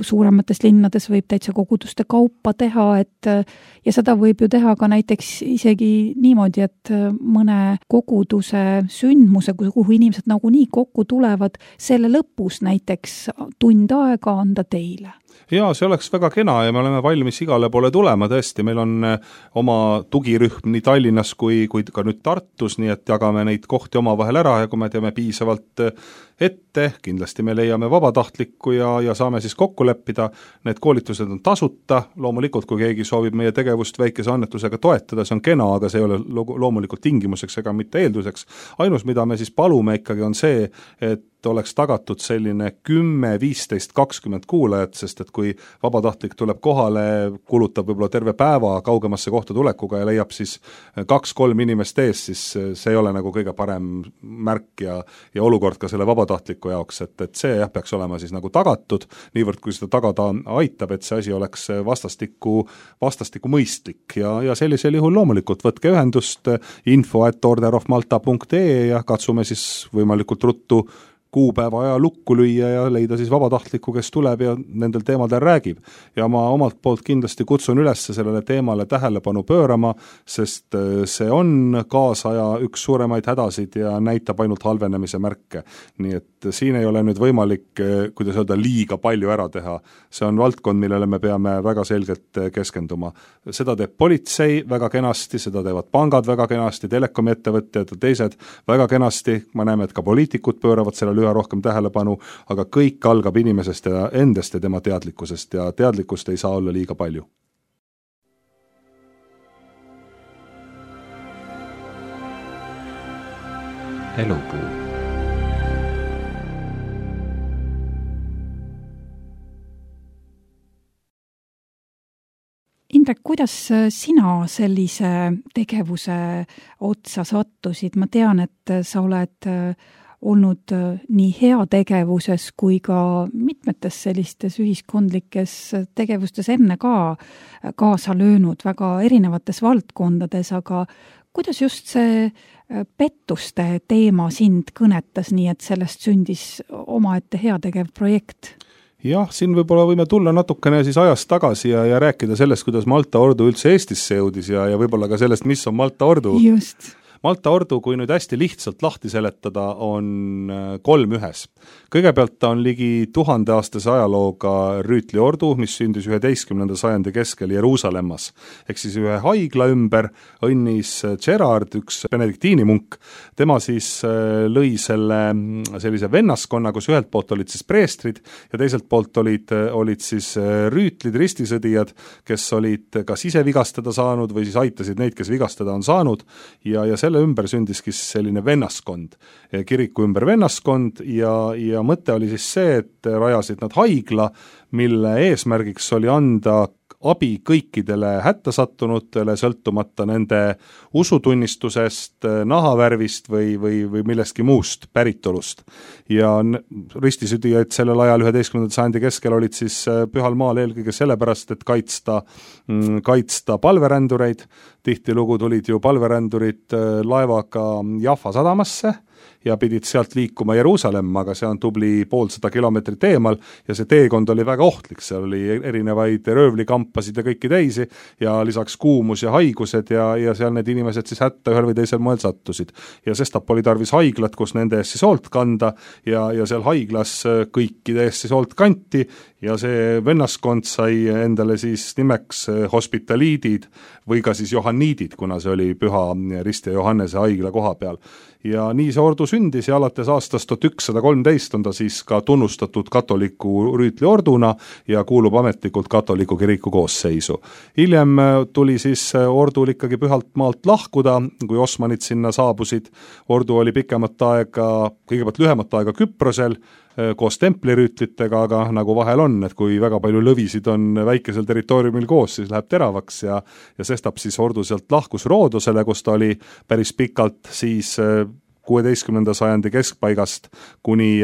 S2: suuremates linnades võib täitsa koguduste kaupa teha, ja seda võib ju teha ka näiteks isegi niimoodi, et mõne koguduse sündmuse, kuhu inimesed nagunii kokku tulevad, selle lõpus näiteks tund aega anda teile.
S3: Jaa, see oleks väga kena ja me oleme valmis igale poole tulema, tõesti, meil on oma tugirühm nii Tallinnas kui ka nüüd Tartus, nii et jagame neid kohti omavahel ära ja kui me teeme piisavalt ette, kindlasti me leiame vabatahtlikku ja saame siis kokku leppida, need koolitused on tasuta, loomulikult kui keegi soovib meie tegevust väikese annetusega toetada, see on kena, aga see ei ole loomulikult tingimuseks ega mitte eelduseks. Ainus, mida me siis palume ikkagi on see, et oleks tagatud selline 10, 15, 20 kuulajat, sest et kui vabatahtlik tuleb kohale, kulutab võib-olla terve päeva kaugemasse kohta tulekuga ja leiab siis 2-3 inimest ees, siis see ei ole nagu kõige parem märk ja olukord ka selle vabatahtliku jaoks, et see peaks olema siis nagu tagatud, niivõrd kui seda tagada aitab, et see asi oleks vastastikku mõistlik ja sellisel juhul loomulikult võtke ühendust info@orderofmalta.ee ja katsume siis võimalikult ruttu kuupäeva aja lukku lüüa ja leida siis vabatahtlikku, kes tuleb ja nendel teemadel räägib. Ja ma omalt poolt kindlasti kutsun üles sellele teemale tähelepanu pöörama, sest see on kaasaja üks suuremaid hädasid ja näitab ainult halvenemise märke. Nii et siin ei ole nüüd võimalik, kuidas öelda, liiga palju ära teha. See on valdkond, millele me peame väga selgelt keskenduma. Seda teeb politsei väga kenasti, seda teevad pangad väga kenasti, telekomiettevõtjad ja teised väga kenasti. Ma näeme, et ka poliitikud pööravad sellele üha rohkem tähelepanu, aga kõik algab inimesest ja endast ja tema teadlikkusest ja teadlikkust ei saa olla liiga palju.
S1: Elupuu.
S2: Indrek, kuidas sina sellise tegevuse otsa sattusid? Ma tean, et sa oled olnud nii heategevuses kui ka mitmetes sellistes ühiskondlikes tegevustes enne ka kaasa löönud väga erinevates valdkondades, aga kuidas just see pettuste teema sind kõnetas, nii et sellest sündis omaette heategev projekt?
S3: Jah, siin võib-olla võime tulla natukene siis ajast tagasi ja rääkida sellest, kuidas Malta ordu üldse Eestisse jõudis ja võib-olla ka sellest, mis on Malta ordu.
S2: Just.
S3: Malta ordu, kui nüüd hästi lihtsalt lahti seletada, on 3 ühes. Kõigepealt ta on ligi 1000-aastase ajalooga rüütliordu, mis sündis 11. sajandi keskel Jeruusalemmas. Ehk siis ühe haigla ümber õnnis Gerard, üks benediktiinimunk. Tema siis lõi sellise vennaskonna, kus ühelt poolt olid siis preestrid ja teiselt poolt olid siis rüütlid, ristisõdijad, kes olid kas ise vigastada saanud või siis aitasid neid, kes vigastada on saanud ja selle ümber sündiski selline vennaskond, kiriku ümber vennaskond ja mõte oli siis see, et rajasid nad haigla, mille eesmärgiks oli anda abi kõikidele hätta sattunutele, sõltumata nende usutunnistusest, nahavärvist või millestki muust päritolust. Ja ristisõdijaid sellel ajal 11. sajandi keskel olid siis Pühal maal eelkõige sellepärast, et kaitsta palverändureid. Tihtilugu tulid ju palverändurid laevaga Jaffa sadamasse ja pidid sealt liikuma Jeruusalemma, aga see on tubli 150 kilomeetrit eemal ja see teekond oli väga ohtlik, seal oli erinevaid röövlikampasid ja kõiki teisi ja lisaks kuumus ja haigused ja seal need inimesed siis hätta ühel või teisel moel sattusid. Ja sestap oli tarvis haiglat, kus nende eest siis hoolt kanda ja seal haiglas kõikide eest siis hoolt kanti ja see vennaskond sai endale siis nimeks hospitaliidid või ka siis johanniidid, kuna see oli Püha Risti ja Johannese haigla koha peal. Ja nii see ordu sündis ja alates aastast 1113 on ta siis ka tunnustatud katoliku rüütliorduna ja kuulub ametlikult katoliku kiriku koosseisu. Hiljem tuli siis ordul ikkagi Pühalt maalt lahkuda, kui osmanid sinna saabusid. Ordu oli pikemat aega, kõigepealt lühemat aega Küprosel koos templirüütlitega, aga nagu vahel on, et kui väga palju lõvisid on väikesel territooriumil koos, siis läheb teravaks ja sestap siis ordu sealt lahkus Roodosele, kus ta oli päris pikalt siis 16. sajandi keskpaigast kuni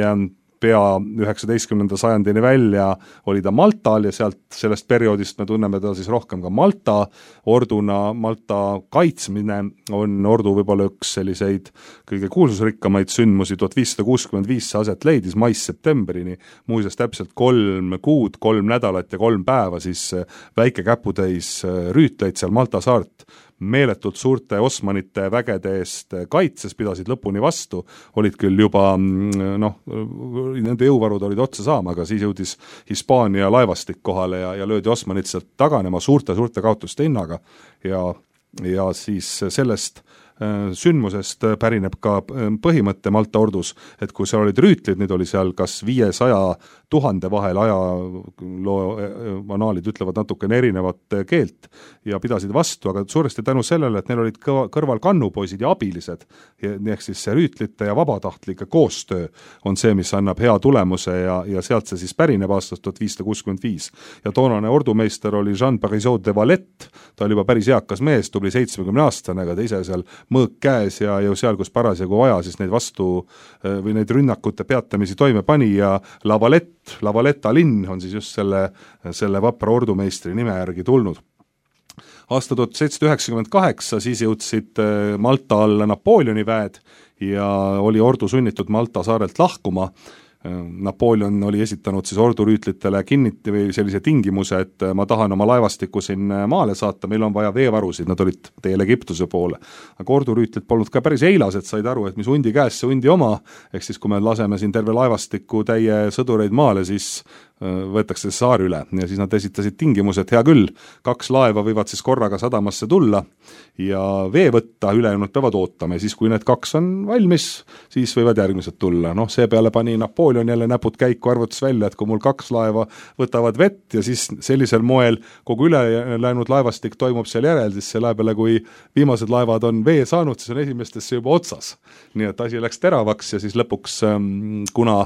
S3: pea 19. sajandini välja oli ta Maltal ja sellest perioodist me tunneme ta siis rohkem ka Malta orduna. Malta kaitsmine on ordu võib-olla üks selliseid kõige kuulsusrikkamaid sündmusi. 1565 see aset leidis mais-septembrini, muuseas täpselt 3 kuud, 3 nädalat ja 3 päeva siis väike käputäis rüütleid seal Malta saart meeletult suurte osmanite vägede eest kaitses, pidasid lõpuni vastu, olid küll juba, nende jõuvarud olid otsa saama, aga siis jõudis Hispaania laevastik kohale ja löödi osmanid sealt taganema suurte kaotuste hinnaga ja siis sellest sündmusest pärineb ka põhimõtte Malta ordus, et kui seal olid rüütlid, neid oli seal kas 500 000 vahel, ajaloo anaalid ütlevad natukene erinevat keelt ja pidasid vastu, aga suuresti tänu sellele, et neil olid kõrval kannupoisid ja abilised, ehk siis see rüütlite ja vabatahtlike koostöö on see, mis annab hea tulemuse ja sealt see siis pärineb aastast 1565. Ja toonane ordumeister oli Jean Parisot de Valette, ta oli juba päris eakas mees, tubli 70-aastane, aga ta ise seal mõõk käes ja seal, kus parasjagu vaja, siis neid vastu või neid rünnakute peatamisi toime pani ja La Valetta linn on siis just selle vapra ordumeistri nime järgi tulnud. Aasta 1798 siis jõudsid Malta alla Napoleoni väed ja oli ordu sunnitud Malta saarelt lahkuma. Napoleon oli esitanud siis ordurüütlitele või sellise tingimuse, et ma tahan oma laevastiku siin maale saata, meil on vaja veevarusid, nad olid teel Egiptuse poole. Aga ordurüütlit polnud ka päris eilased, said aru, et mis hundi käes, see hundi oma, ehk siis kui me laseme siin terve laevastiku täie sõdureid maale, siis võetakse saar üle ja siis nad esitasid tingimused, hea küll, 2 laeva võivad siis korraga sadamasse tulla ja vee võtta, ülejäänud peavad ootama ja siis, kui need 2 on valmis, siis võivad järgmised tulla. Seepeale pani Napoleon jälle näpud käiku, arvutas välja, et kui mul 2 laeva võtavad vett ja siis sellisel moel kogu ülejäänud laevastik toimub seal järel, siis selle peale, kui viimased laevad on vee saanud, siis on esimestesse juba otsas. Nii et asi läks teravaks ja siis lõpuks, kuna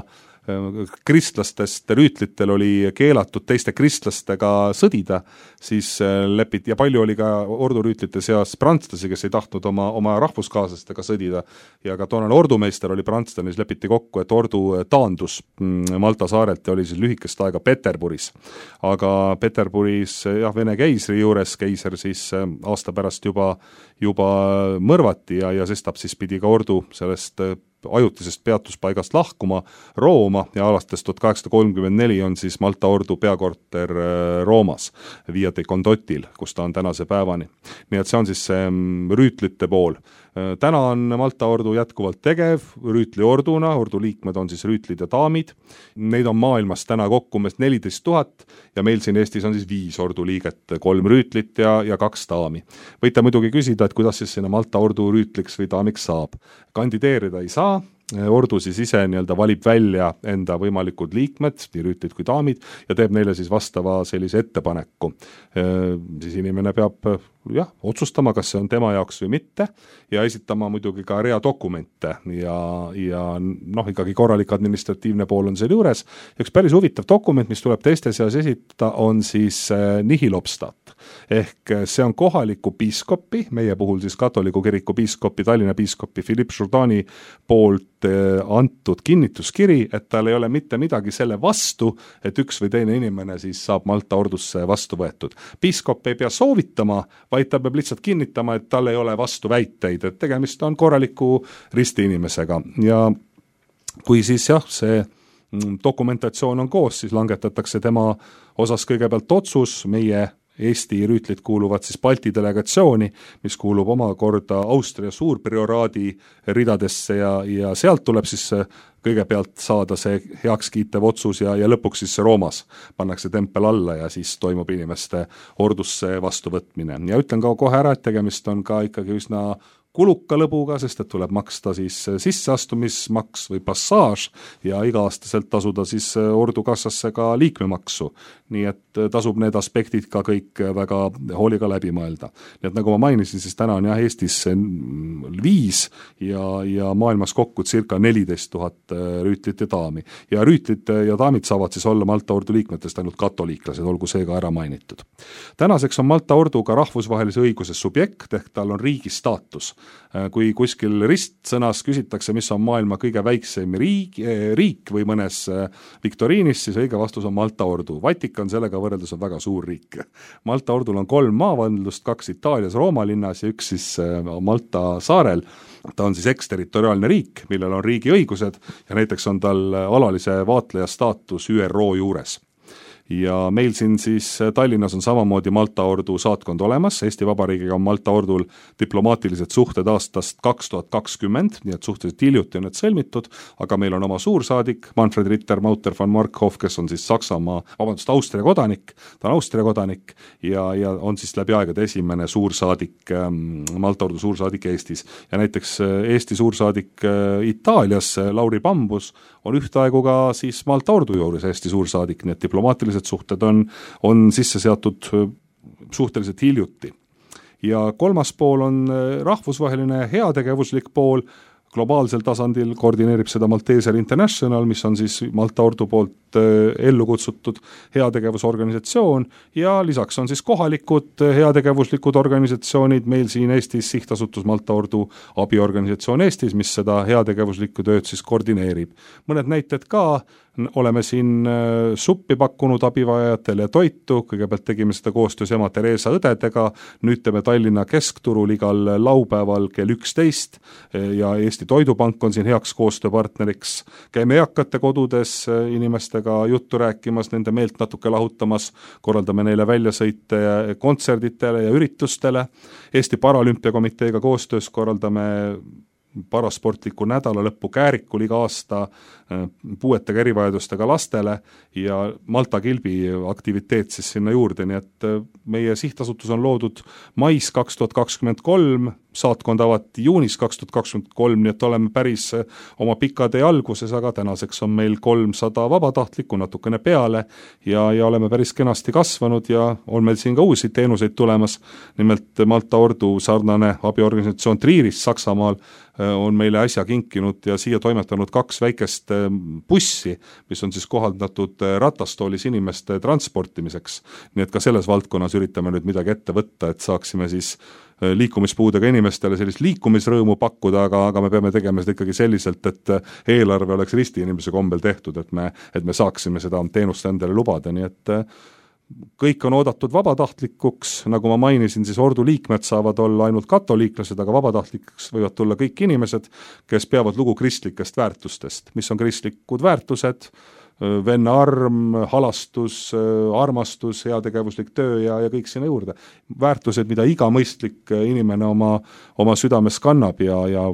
S3: kristlastest rüütlitel oli keelatud teiste kristlastega sõdida, siis lepiti, ja palju oli ka ordurüütlite seas prantslasi, kes ei tahtnud oma rahvuskaaslastega sõdida, ja ka toonane ordumeister oli prantslane, siis lepiti kokku, et ordu taandus Malta saarelt ja oli siis lühikest aega Peterburis. Aga Peterburis Vene keisri juures, keiser siis aasta pärast juba mõrvati ja sestap siis pidi ka ordu sellest ajutisest peatuspaigast lahkuma Rooma ja alates 1834 on siis Malta ordu peakorter Roomas, Via dei Condotil, kus ta on tänase päevani. Nii et see on siis see rüütlite pool. Täna on Malta ordu jätkuvalt tegev rüütliorduna, ordu liikmed on siis rüütlid ja daamid. Neid on maailmas täna kokku 14 000 ja meil siin Eestis on siis 5 ordu liiget, 3 rüütlit ja 2 daami. Võite muidugi küsida, et kuidas siis sinna Malta ordu rüütliks või daamiks saab. Kandideerida ei saa, ordu siis ise valib välja enda võimalikud liikmed, nii rüütlid kui daamid, ja teeb neile siis vastava sellise ettepaneku. Siis inimene peab otsustama, kas see on tema jaoks või mitte, ja esitama muidugi ka rea dokumente ja ikkagi korralik administratiivne pool on selle juures. Üks päris huvitav dokument, mis tuleb teiste seas esitada, on siis nihil obstat. Ehk see on kohaliku piiskopi, meie puhul siis katoliku kiriku piiskopi, Tallinna piiskopi Philippe Jourdani poolt antud kinnituskiri, et tal ei ole mitte midagi selle vastu, et üks või teine inimene siis saab Malta ordusse vastu võetud. Piiskop ei pea soovitama, vaid ta peab lihtsalt kinnitama, et tal ei ole vastu väiteid, et tegemist on korraliku risti inimesega. Ja kui siis see dokumentatsioon on koos, siis langetatakse tema osas kõigepealt otsus, meie Eesti rüütlid kuuluvad siis Balti delegatsiooni, mis kuulub omakorda Austria suurprioraadi ridadesse ja sealt tuleb siis kõigepealt saada see heakskiitev otsus ja lõpuks siis Roomas pannakse tempel alla ja siis toimub inimeste ordusse vastuvõtmine. Ja ütlen ka kohe ära, et tegemist on ka ikkagi üsna kuluka lõbuga, sest et tuleb maksta siis sisseastumismaks või passaaž ja iga-aastaselt tasuda siis ordukassasse ka liikmemaksu. Nii et tasub need aspektid ka kõik väga hooliga läbi mõelda. Nii et nagu ma mainisin, siis täna on Eestis 5 ja maailmas kokku circa 14 000 rüütlit ja daami. Ja rüütlid ja daamid saavad siis olla Malta ordu liikmetest ainult katoliiklased, olgu see ka ära mainitud. Tänaseks on Malta ordu ka rahvusvahelise õiguse subjekt, ehk tal on riigi staatus. Kui kuskil ristsõnas küsitakse, mis on maailma kõige väiksem riik või mõnes viktoriinis, siis õige vastus on Malta ordu. Vatikan sellega võrreldes on väga suur riik. Malta ordul on 3 maavandlust, 2 Itaalias Rooma linnas ja 1 siis Malta saarel. Ta on siis eksterritoriaalne riik, millel on riigi õigused ja näiteks on tal alalise vaatleja staatus ÜRO juures. Ja meil siin siis Tallinnas on samamoodi Malta ordu saatkond olemas, Eesti Vabariigiga on Malta ordul diplomaatilised suhted aastast 2020, nii et suhteliselt hiljuti on need sõlmitud, aga meil on oma suursaadik, Manfred Ritter Mauter von Markhoff, kes on siis Austria kodanik, ta on Austria kodanik ja on siis läbi aegade esimene suursaadik, Malta ordu suursaadik Eestis. Ja näiteks Eesti suursaadik Itaalias, Lauri Pambus, on ühtaegu ka siis Malta ordu juures Eesti suursaadik, nii et diplomaatilised suhted on sisse seatud suhteliselt hiljuti. Ja kolmas pool on rahvusvaheline heategevuslik pool, globaalsel tasandil koordineerib seda Malteser International, mis on siis Malta ordu poolt ellu kutsutud heategevusorganisatsioon ja lisaks on siis kohalikud heategevuslikud organisatsioonid, meil siin Eestis sihtasutus Malta ordu abiorganisatsioon Eestis, mis seda heategevuslikku tööd siis koordineerib. Mõned näited ka, oleme siin suppi pakkunud abivajajatele toitu, kõigepealt tegime seda koostöös ema Theresa õdedega, nüüd teeme Tallinna keskturul igal laupäeval kell 11 ja Eesti Toidupank on siin heaks koostööpartneriks. Käime eakate kodudes inimestega juttu rääkimas, nende meelt natuke lahutamas, korraldame neile väljasõite kontserditele ja üritustele. Eesti Paralümpiakomiteega koostöös korraldame parasportliku nädala lõppu Käärikul iga aasta puuetega erivajadustega lastele ja Malta kilbi aktiviteet siis sinna juurde, nii et meie sihtasutus on loodud mais 2023, saatkond avati juunis 2023, nii et oleme päris oma pika tee alguses, aga tänaseks on meil 300 vabatahtlikku natukene peale ja oleme päris kenasti kasvanud ja on meil siin ka uusi teenuseid tulemas. Nimelt Malta ordu sarnane abiorganisatsioon Trieris Saksamaal on meile äsja kinkinud ja siia toimetanud 2 väikest bussi, mis on siis kohaldatud ratastoolis inimeste transportimiseks. Nii et ka selles valdkonnas üritame nüüd midagi ette võtta, et saaksime siis liikumispuudega inimestele sellist liikumisrõõmu pakkuda, aga me peame tegema seda ikkagi selliselt, et eelarve oleks risti inimese kombel tehtud, et me saaksime seda teenust endale lubada, nii et kõik on oodatud vabatahtlikuks, nagu ma mainisin, siis ordu liikmed saavad olla ainult katoliiklased, aga vabatahtlikuks võivad tulla kõik inimesed, kes peavad lugu kristlikest väärtustest. Mis on kristlikud väärtused? Venna arm, halastus, armastus, heategevuslik töö ja kõik sinna juurde. Väärtused, mida iga mõistlik inimene oma südames kannab ja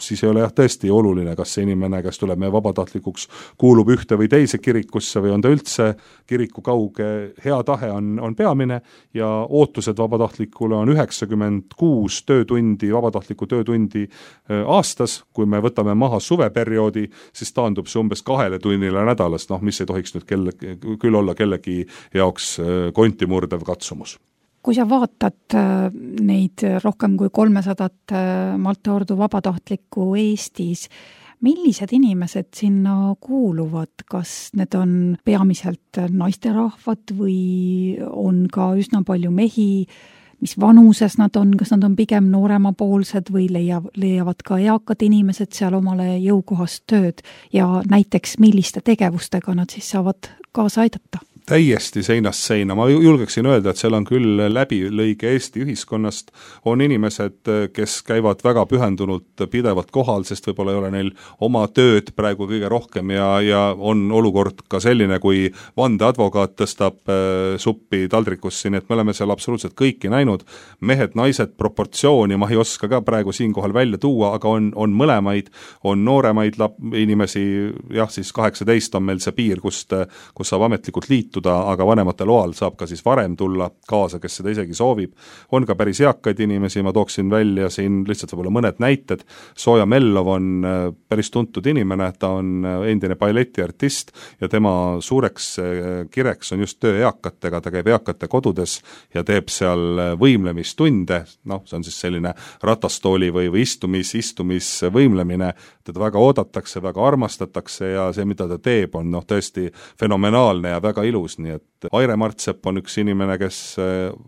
S3: siis ei ole tõesti oluline, kas see inimene, kes tuleb meie vabatahtlikuks, kuulub ühte või teise kirikusse või on ta üldse kiriku kauge, hea tahe on peamine ja ootused vabatahtlikule on 96 töötundi, vabatahtliku töötundi aastas. Kui me võtame maha suveperioodi, siis taandub see umbes 2 tunnile nädalas, mis ei tohiks nüüd küll olla kellegi jaoks konti murdev katsumus.
S2: Kui sa vaatad neid rohkem kui 300 Malta ordu vabatahtlikku Eestis, millised inimesed sinna kuuluvad? Kas need on peamiselt naisterahvad või on ka üsna palju mehi? Mis vanuses nad on? Kas nad on pigem nooremapoolsed või leiavad ka eakad inimesed seal omale jõukohast tööd? Ja näiteks milliste tegevustega nad siis saavad kaasa aidata?
S3: Täiesti seinast seina. Ma julgeksin öelda, et seal on küll läbilõige Eesti ühiskonnast, on inimesed, kes käivad väga pühendunult pidevalt kohal, sest võib-olla ei ole neil oma tööd praegu kõige rohkem ja on olukord ka selline, kui vandeadvokaat tõstab suppi taldrikusse, nii et me oleme seal absoluutselt kõiki näinud. Mehed, naised, proportsiooni ma ei oska ka praegu siinkohal välja tuua, aga on mõlemaid, on nooremaid inimesi, jah, siis 18 on meil see piir, kus saab ametlikult liitu, aga vanemate loal saab ka siis varem tulla kaasa, kes seda isegi soovib. On ka päris eakaid inimesi, ma tooksin välja siin lihtsalt võib-olla mõned näited. Sooja Mellov on päris tuntud inimene, ta on endine balletiartist ja tema suureks kireks on just töö eakatega, ta käib eakate kodudes ja teeb seal võimlemistunde, see on siis selline ratastooli või istumisvõimlemine, teda väga oodatakse, väga armastatakse ja see, mida ta teeb, on tõesti fenomenaalne ja väga ilus. Nii et Aire Martsepp on üks inimene, kes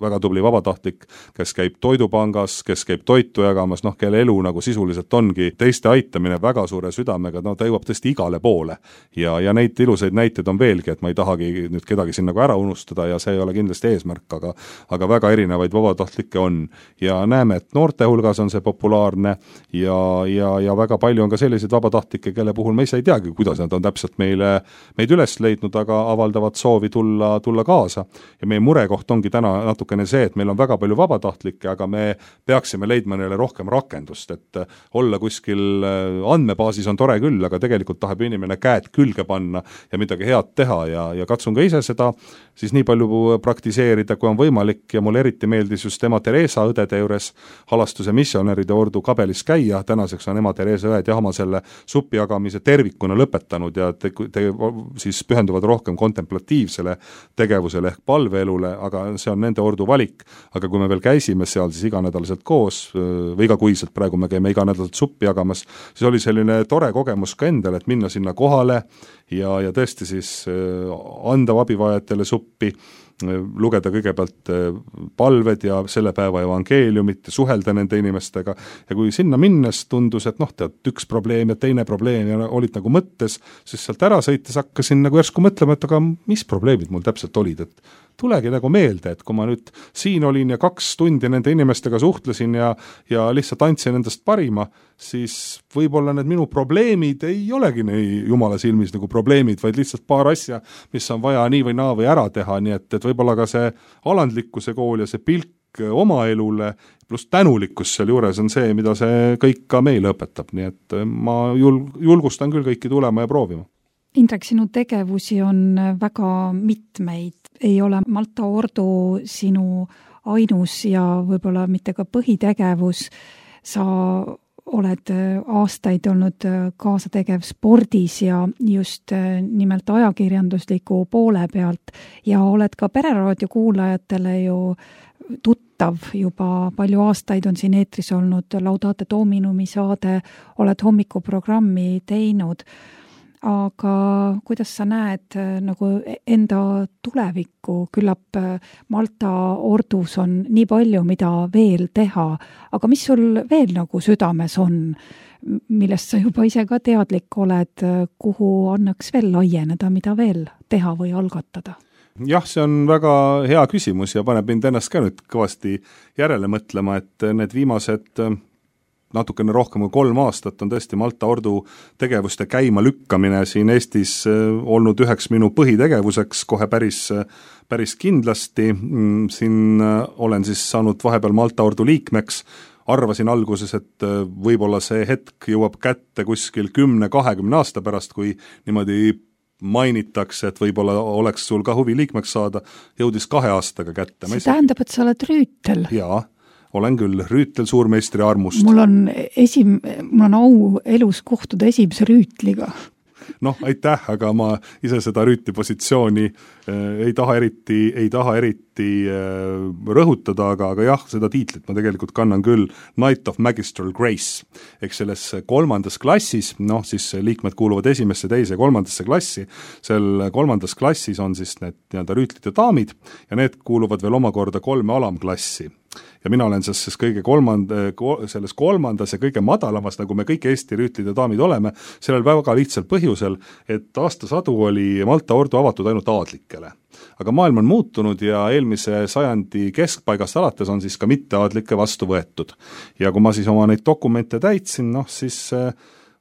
S3: väga tubli vabatahtlik, kes käib toidupangas, kes käib toitu jagamas, kelle elu nagu sisuliselt ongi teiste aitamine väga suure südamega, ta jõuab tõesti igale poole ja neid ilusaid näiteid on veelgi, et ma ei tahagi nüüd kedagi siin nagu ära unustada ja see ei ole kindlasti eesmärk, aga väga erinevaid vabatahtlikke on ja näeme, et noorte hulgas on see populaarne ja väga palju on ka selliseid vabatahtlikke, kelle puhul me ise ei teagi, kuidas nad on täpselt meid üles leidnud, aga avaldavad soovi tulla kaasa ja meie murekoht ongi täna natukene see, et meil on väga palju vabatahtlikke, aga me peaksime leidma neile rohkem rakendust, et olla kuskil andmebaasis on tore küll, aga tegelikult tahab inimene käed külge panna ja midagi head teha ja katsun ka ise seda siis nii palju praktiseerida, kui on võimalik ja mulle eriti meeldis just ema Teresa õdede juures halastuse missionäride ordu kabelis käia, tänaseks on ema Teresa õed ja oma selle suppi jagamise tervikuna lõpetanud ja siis pühenduvad rohkem kontemplatiivsele tegevusele ehk palveelule, aga see on nende ordu valik, aga kui me veel käisime seal siis iganädalaselt koos või igakuiselt, praegu me käime iganädalaselt suppi jagamas, siis oli selline tore kogemus ka endale, et minna sinna kohale ja tõesti siis anda abivajatele suppi, lugeda kõigepealt palved ja selle päeva evangeeliumit ja suhelda nende inimestega ja kui sinna minnes tundus, et üks probleem ja teine probleem ja olid nagu mõttes, siis sealt ära sõites hakkasin nagu järsku mõtlema, et aga mis probleemid mul täpselt olid, et tulegi nagu meelde, et kui ma nüüd siin olin ja 2 tundi nende inimestega suhtlesin ja lihtsalt andsin endast parima, siis võib-olla need minu probleemid ei olegi nii jumala silmis nagu probleemid, vaid lihtsalt paar asja, mis on vaja nii või naa või ära teha, nii et võib-olla ka see alandlikkuse kool ja see pilk oma elule pluss tänulikkus seal juures on see, mida see kõik ka meile õpetab, nii et ma julgustan küll kõiki tulema ja proovima.
S2: Indrek, sinu tegevusi on väga mitmeid, ei ole Malta ordu sinu ainus ja võib-olla mitte ka põhitegevus. Sa oled aastaid olnud kaasategev spordis ja just nimelt ajakirjandusliku poole pealt ja oled ka Pereraadio kuulajatele ju tuttav, juba palju aastaid on siin eetris olnud Laudate Dominumi saade, oled hommikuprogrammi teinud, aga kuidas sa näed nagu enda tulevikku, küllap Malta ordus on nii palju, mida veel teha, aga mis sul veel nagu südames on, millest sa juba ise ka teadlik oled, kuhu annaks veel laieneda, mida veel teha või algatada?
S3: Jah, see on väga hea küsimus ja paneb mind ennast ka nüüd kõvasti järele mõtlema, et need viimased natukene rohkem kui 3 aastat on tõesti Malta ordu tegevuste käima lükkamine siin Eestis olnud üheks minu põhitegevuseks kohe päris kindlasti. Siin olen siis saanud vahepeal Malta ordu liikmeks, arvasin alguses, et võib-olla see hetk jõuab kätte kuskil 10-20 aasta pärast, kui niimoodi mainitakse, et võib-olla oleks sul ka huvi liikmeks saada, jõudis 2 aastaga kätte.
S2: See tähendab, et sa oled rüütel?
S3: Jaa, olen küll rüütel suurmeistri armust.
S2: Mul on au elus kohtuda esimese rüütliga.
S3: Noh, aitäh, aga ma ise seda rüütli positsiooni ei taha eriti rõhutada, aga jah, seda tiitlit ma tegelikult kannan küll Knight of Magistral Grace. Eks selles 3. klassis, siis liikmed kuuluvad 1., 2., 3. klassi, seal 3. klassis on siis need nii-öelda rüütlid ja daamid ja need kuuluvad veel omakorda 3 alamklassi. Ja mina olen selles selles 3. ja kõige madalamas, nagu me kõik Eesti rüütlid ja daamid oleme, sellel väga lihtsal põhjusel, et aastasadu oli Malta ordu avatud ainult aadlikele. Aga maailm on muutunud ja eelmise sajandi keskpaigast alates on siis ka mitteaadlikke vastu võetud. Ja kui ma siis oma neid dokumente täitsin, siis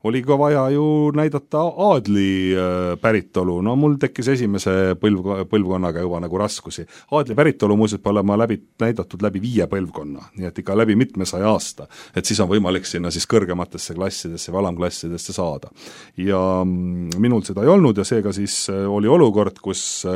S3: oli ka vaja ju näidata aadli päritolu. Mul tekkis esimese põlvkonnaga juba nagu raskusi. Aadli päritolu muuseas peab olema näidatud läbi 5 põlvkonna, nii et ikka läbi mitmesaja aasta. Et siis on võimalik sinna siis kõrgematesse klassidesse või alamklassidesse saada. Ja minul seda ei olnud ja seega siis oli olukord, kus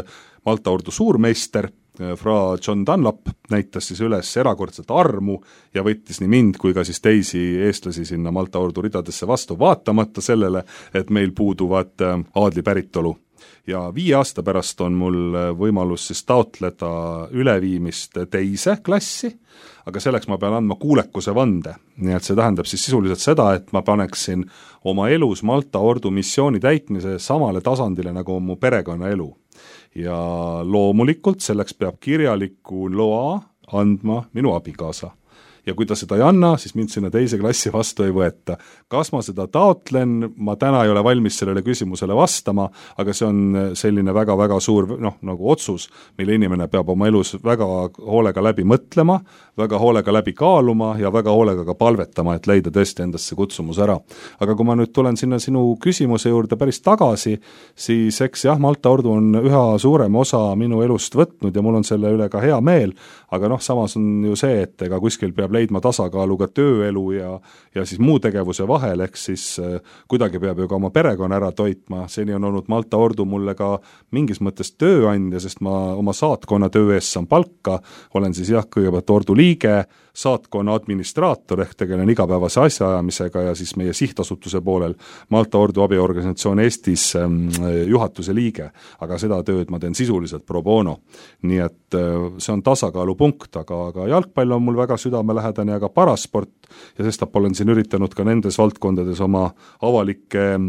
S3: Malta ordu suurmeister Fra John Dunlap näitas siis üles erakordset armu ja võttis nii mind kui ka siis teisi eestlasi sinna Malta ordu ridadesse vastu, vaatamata sellele, et meil puuduvad aadli päritolu. Ja 5 aasta pärast on mul võimalus siis taotleda üleviimist 2. klassi, aga selleks ma pean andma kuulekuse vande. Nii et see tähendab siis sisuliselt seda, et ma paneksin oma elus Malta ordu missiooni täitmise samale tasandile nagu mu perekonnaelu. Ja loomulikult selleks peab kirjaliku loa andma minu abikaasa. Ja kui ta seda ei anna, siis mind sinna 2. klassi vastu ei võeta. Kas ma seda taotlen, ma täna ei ole valmis sellele küsimusele vastama, aga see on selline väga-väga suur nagu otsus, mille inimene peab oma elus väga hoolega läbi mõtlema, väga hoolega läbi kaaluma ja väga hoolega ka palvetama, et leida tõesti endasse kutsumus ära. Aga kui ma nüüd tulen sinna sinu küsimuse juurde päris tagasi, siis eks jah, Malta ordu on üha suurem osa minu elust võtnud ja mul on selle üle ka hea meel, aga samas on ju see, et ega kuskil peab leidma tasakaalu ka tööelu ja siis muu tegevuse vahel, ehk siis kuidagi peab ju ka oma perekonna ära toitma. Seni on olnud Malta ordu mulle ka mingis mõttes tööandja, sest ma oma saatkonna töö eest saan palka, olen siis kõigepealt ordu liige, saatkonna administraator ehk tegelen igapäevase asjaajamisega ja siis meie sihtasutuse poolel Malta ordu abiorganisatsioon Eestis juhatuse liige, aga seda tööd ma teen sisuliselt pro bono. Nii et see on tasakaalupunkt, aga jalgpall on mul väga südamelähedane ja ka parasport ja sestap olen siin üritanud ka nendes valdkondades oma avalikke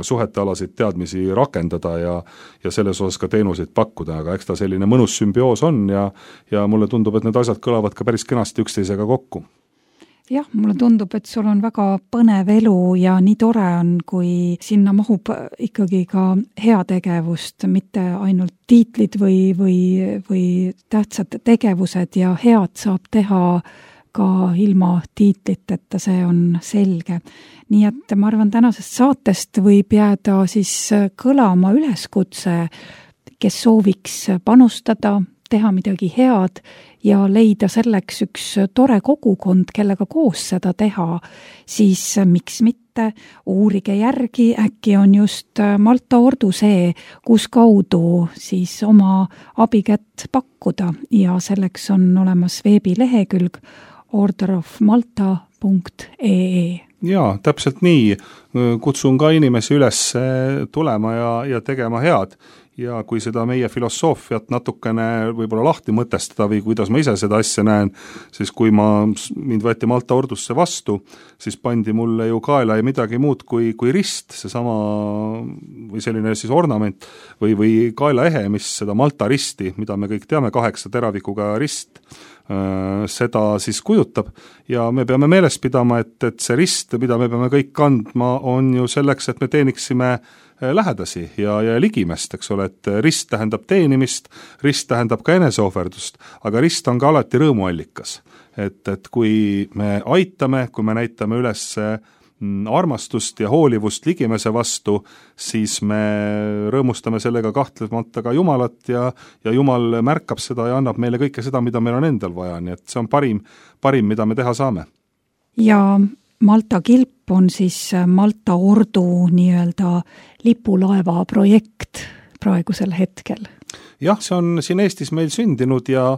S3: suhetealasid teadmisi rakendada ja selles osas ka teenuseid pakkuda, aga eks ta selline mõnus sümbioos on ja mulle tundub, et need asjad kõlavad ka päris kenasti üksteisega kokku.
S2: Jah, mulle tundub, et sul on väga põnev elu ja nii tore on, kui sinna mahub ikkagi ka heategevust, mitte ainult tiitlid või tähtsad tegevused ja head saab teha ka ilma tiitliteta, see on selge. Nii et ma arvan, tänasest saatest võib jääda siis kõlama üleskutse, kes sooviks panustada, teha midagi head ja leida selleks üks tore kogukond, kellega koos seda teha, siis miks mitte uurige järgi, äkki on just Malta ordu see, kus kaudu siis oma abikätt pakkuda ja selleks on olemas veebilehekülg orderofmalta.ee.
S3: Jaa, täpselt nii. Kutsun ka inimesi üles tulema ja tegema head. ja kui seda meie filosoofiat natukene võib-olla lahti mõtestada või kuidas ma ise seda asja näen, siis kui mind võeti Malta ordusse vastu, siis pandi mulle ju kaela ja midagi muud kui rist, seesama või selline siis ornament või kaelaehe, mis seda Malta risti, mida me kõik teame, 8 teravikuga rist, seda siis kujutab ja me peame meeles pidama, et see rist, mida me peame kõik kandma, on ju selleks, et me teeniksime lähedasi ja ligimest, eks ole, et rist tähendab teenimist, rist tähendab ka eneseohverdust, aga rist on ka alati rõõmuallikas. Et kui me aitame, kui me näitame üles armastust ja hoolivust ligimese vastu, siis me rõõmustame sellega kahtlemata ka Jumalat ja Jumal märkab seda ja annab meile kõike seda, mida meil on endal vaja, nii et see on parim, mida me teha saame.
S2: Ja Malta kilp on siis Malta ordu nii-öelda lipulaeva projekt praegusel hetkel.
S3: Jah, see on siin Eestis meil sündinud ja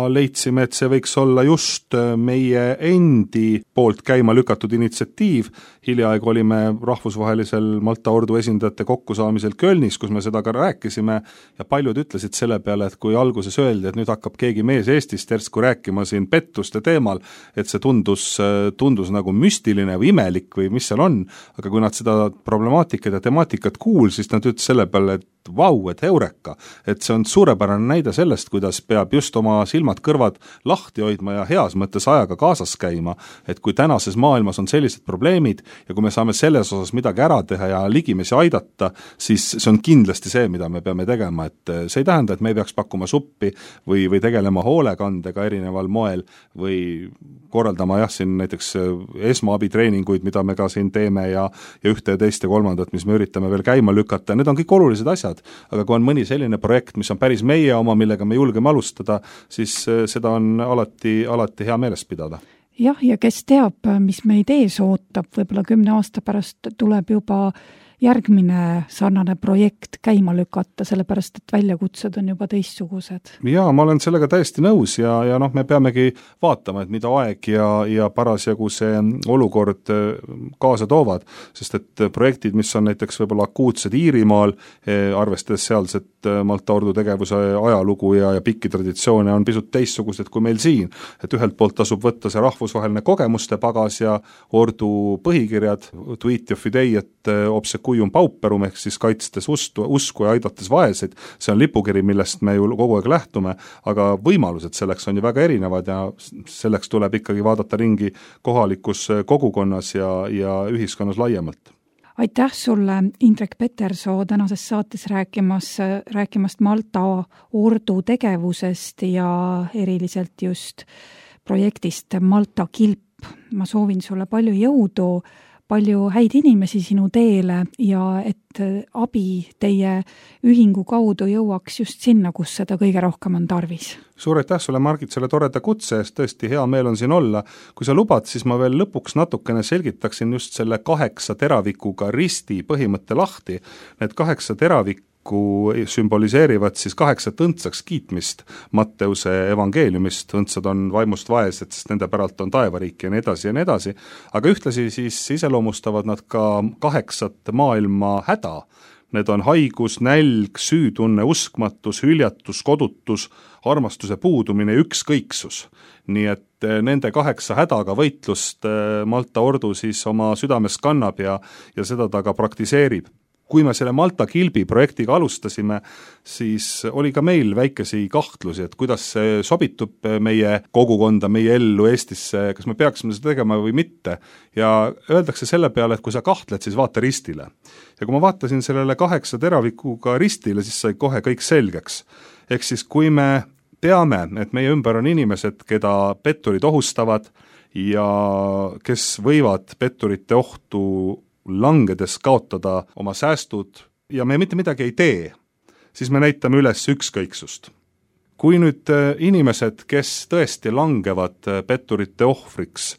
S3: leidsime, et see võiks olla just meie endi poolt käima lükatud initsiatiiv. Hiljaaegu olime rahvusvahelisel Malta ordu esindajate kokkusaamisel Kölnis, kus me seda ka rääkisime ja paljud ütlesid selle peale, et kui alguses öeldi, et nüüd hakkab keegi mees Eestist järsku rääkima siin pettuste teemal, et see tundus nagu müstiline või imelik või mis seal on, aga kui nad seda problemaatikat ja temaatikat siis nad ütlesid selle peale, et vau, et heureka, et see on suurepärane näide sellest, kuidas peab just oma silmad-kõrvad lahti hoidma ja heas mõttes ajaga kaasas käima, et kui tänases maailmas on sellised probleemid ja kui me saame selles osas midagi ära teha ja ligimesi aidata, siis see on kindlasti see, mida me peame tegema, et see ei tähenda, et me ei peaks pakkuma suppi või tegelema hoolekandega erineval moel või korraldama siin näiteks esmaabitreeninguid, mida me ka siin teeme ja ühte ja teist ja kolmandat, mis me üritame veel käima lükata, need on kõik olulised asjad, aga kui on mõni selline projekt, mis on päris meie oma, millega me julgeme alustada, siis seda on alati hea meeles pidada.
S2: Jah, ja kes teab, mis meid ees ootab, võib-olla 10 aasta pärast tuleb juba järgmine sarnane projekt käima lükata, sellepärast et väljakutsed on juba teistsugused.
S3: Jaa, ma olen sellega täiesti nõus ja me peamegi vaatama, et mida aeg ja parasjagu see olukord kaasa toovad, sest et projektid, mis on näiteks võib-olla akuutsed Iirimaal, arvestades sealset Malta ordu tegevuse ajalugu ja pikki traditsioone, on pisut teistsugused kui meil siin, et ühelt poolt tasub võtta see rahvusvaheline kogemuste pagas ja ordu põhikirjad, Tuitio Fidei, et obsequium pauperum ehk siis kaitstes usku ja aidates vaeseid, see on lipukiri, millest me ju kogu aeg lähtume, aga võimalused selleks on ju väga erinevad ja selleks tuleb ikkagi vaadata ringi kohalikus kogukonnas ja ühiskonnas laiemalt.
S2: Aitäh sulle, Indrek Petersoo, tänases saates rääkimast Malta ordu tegevusest ja eriliselt just projektist Malta kilp. Ma soovin sulle palju jõudu, palju häid inimesi sinu teele ja et abi teie ühingu kaudu jõuaks just sinna, kus seda kõige rohkem on tarvis.
S3: Suur aitäh sulle, Margit, selle toreda kutse eest, tõesti hea meel on siin olla. Kui sa lubad, siis ma veel lõpuks natukene selgitaksin just selle 8 teravikuga risti põhimõtte lahti. Need 8 teravikku sümboliseerivad siis 8 õndsaks kiitmist Matteuse evangeeliumist, õndsad on vaimust vaesed, sest nende päralt on taevariik ja nii edasi, aga ühtlasi siis iseloomustavad nad ka 8 maailma häda. Need on haigus, nälg, süütunne, uskmatus, hüljatus, kodutus, armastuse puudumine, ükskõiksus. Nii et nende 8 hädaga võitlust Malta ordu siis oma südames kannab ja seda ta ka praktiseerib. Kui me selle Malta kilbi projektiga alustasime, siis oli ka meil väikesi kahtlusi, et kuidas see sobitub meie kogukonda, meie ellu Eestisse, kas me peaksime seda tegema või mitte. Ja öeldakse selle peale, et kui sa kahtled, siis vaata ristile. Ja kui ma vaatasin sellele 8 teravikuga ristile, siis sai kohe kõik selgeks. Ehk siis kui me teame, et meie ümber on inimesed, keda petturid ohustavad ja kes võivad petturite ohtu langedes kaotada oma säästud ja me mitte midagi ei tee, siis me näitame üles ükskõiksust. Kui nüüd inimesed, kes tõesti langevad petturite ohvriks,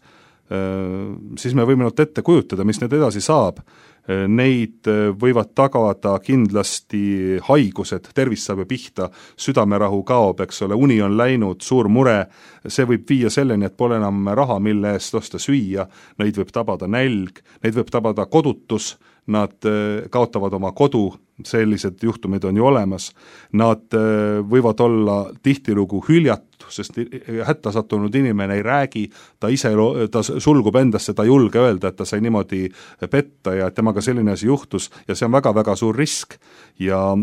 S3: siis me võime nüüd ette kujutada, mis need edasi saab. Neid võivad tagada kindlasti haigused, tervis saab pihta, südamerahu kaob, eks ole, uni on läinud, suur mure, see võib viia selleni, et pole enam raha, mille eest osta süüa, neid võib tabada nälg, neid võib tabada kodutus, nad kaotavad oma kodu, sellised juhtumid on ju olemas, nad võivad olla tihtilugu hüljatu, sest hätta sattunud inimene ei räägi, ta sulgub endasse, ta ei julge öelda, et ta sai niimoodi petta ja et temaga selline asi juhtus ja see on väga-väga suur risk. Ja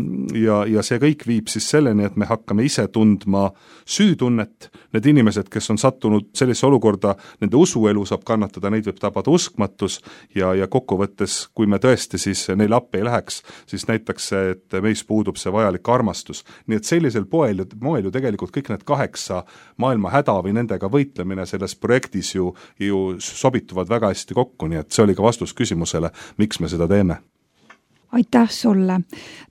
S3: see kõik viib siis selleni, et me hakkame ise tundma süütunnet, need inimesed, kes on sattunud sellisesse olukorda, nende usuelu saab kannatada, neid võib tabada uskmatus ja kokkuvõttes, kui me tõesti siis neile appi ei läheks, siis näitaks see, et meis puudub see vajalik armastus. Nii et sellisel moel ju tegelikult kõik need 8 maailma häda või nendega võitlemine selles projektis ju sobituvad väga hästi kokku, nii et see oli ka vastus küsimusele, miks me seda teeme.
S2: Aitäh sulle!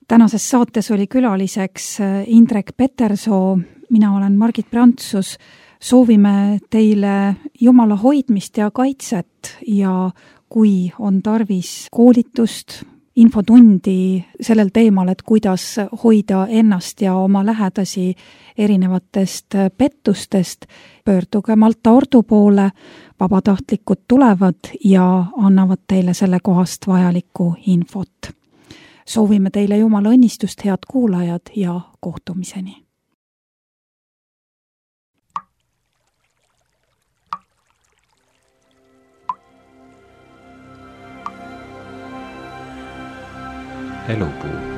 S2: Tänases saates oli külaliseks Indrek Petersoo, mina olen Margit Prantsus, soovime teile Jumala hoidmist ja kaitset ja kui on tarvis koolitust, infotundi sellel teemal, et kuidas hoida ennast ja oma lähedasi erinevatest pettustest, pöörduge Malta Ordu poole, vabatahtlikud tulevad ja annavad teile selle kohast vajalikku infot. Soovime teile Jumala õnnistust, head kuulajad ja kohtumiseni!
S1: Elupuu.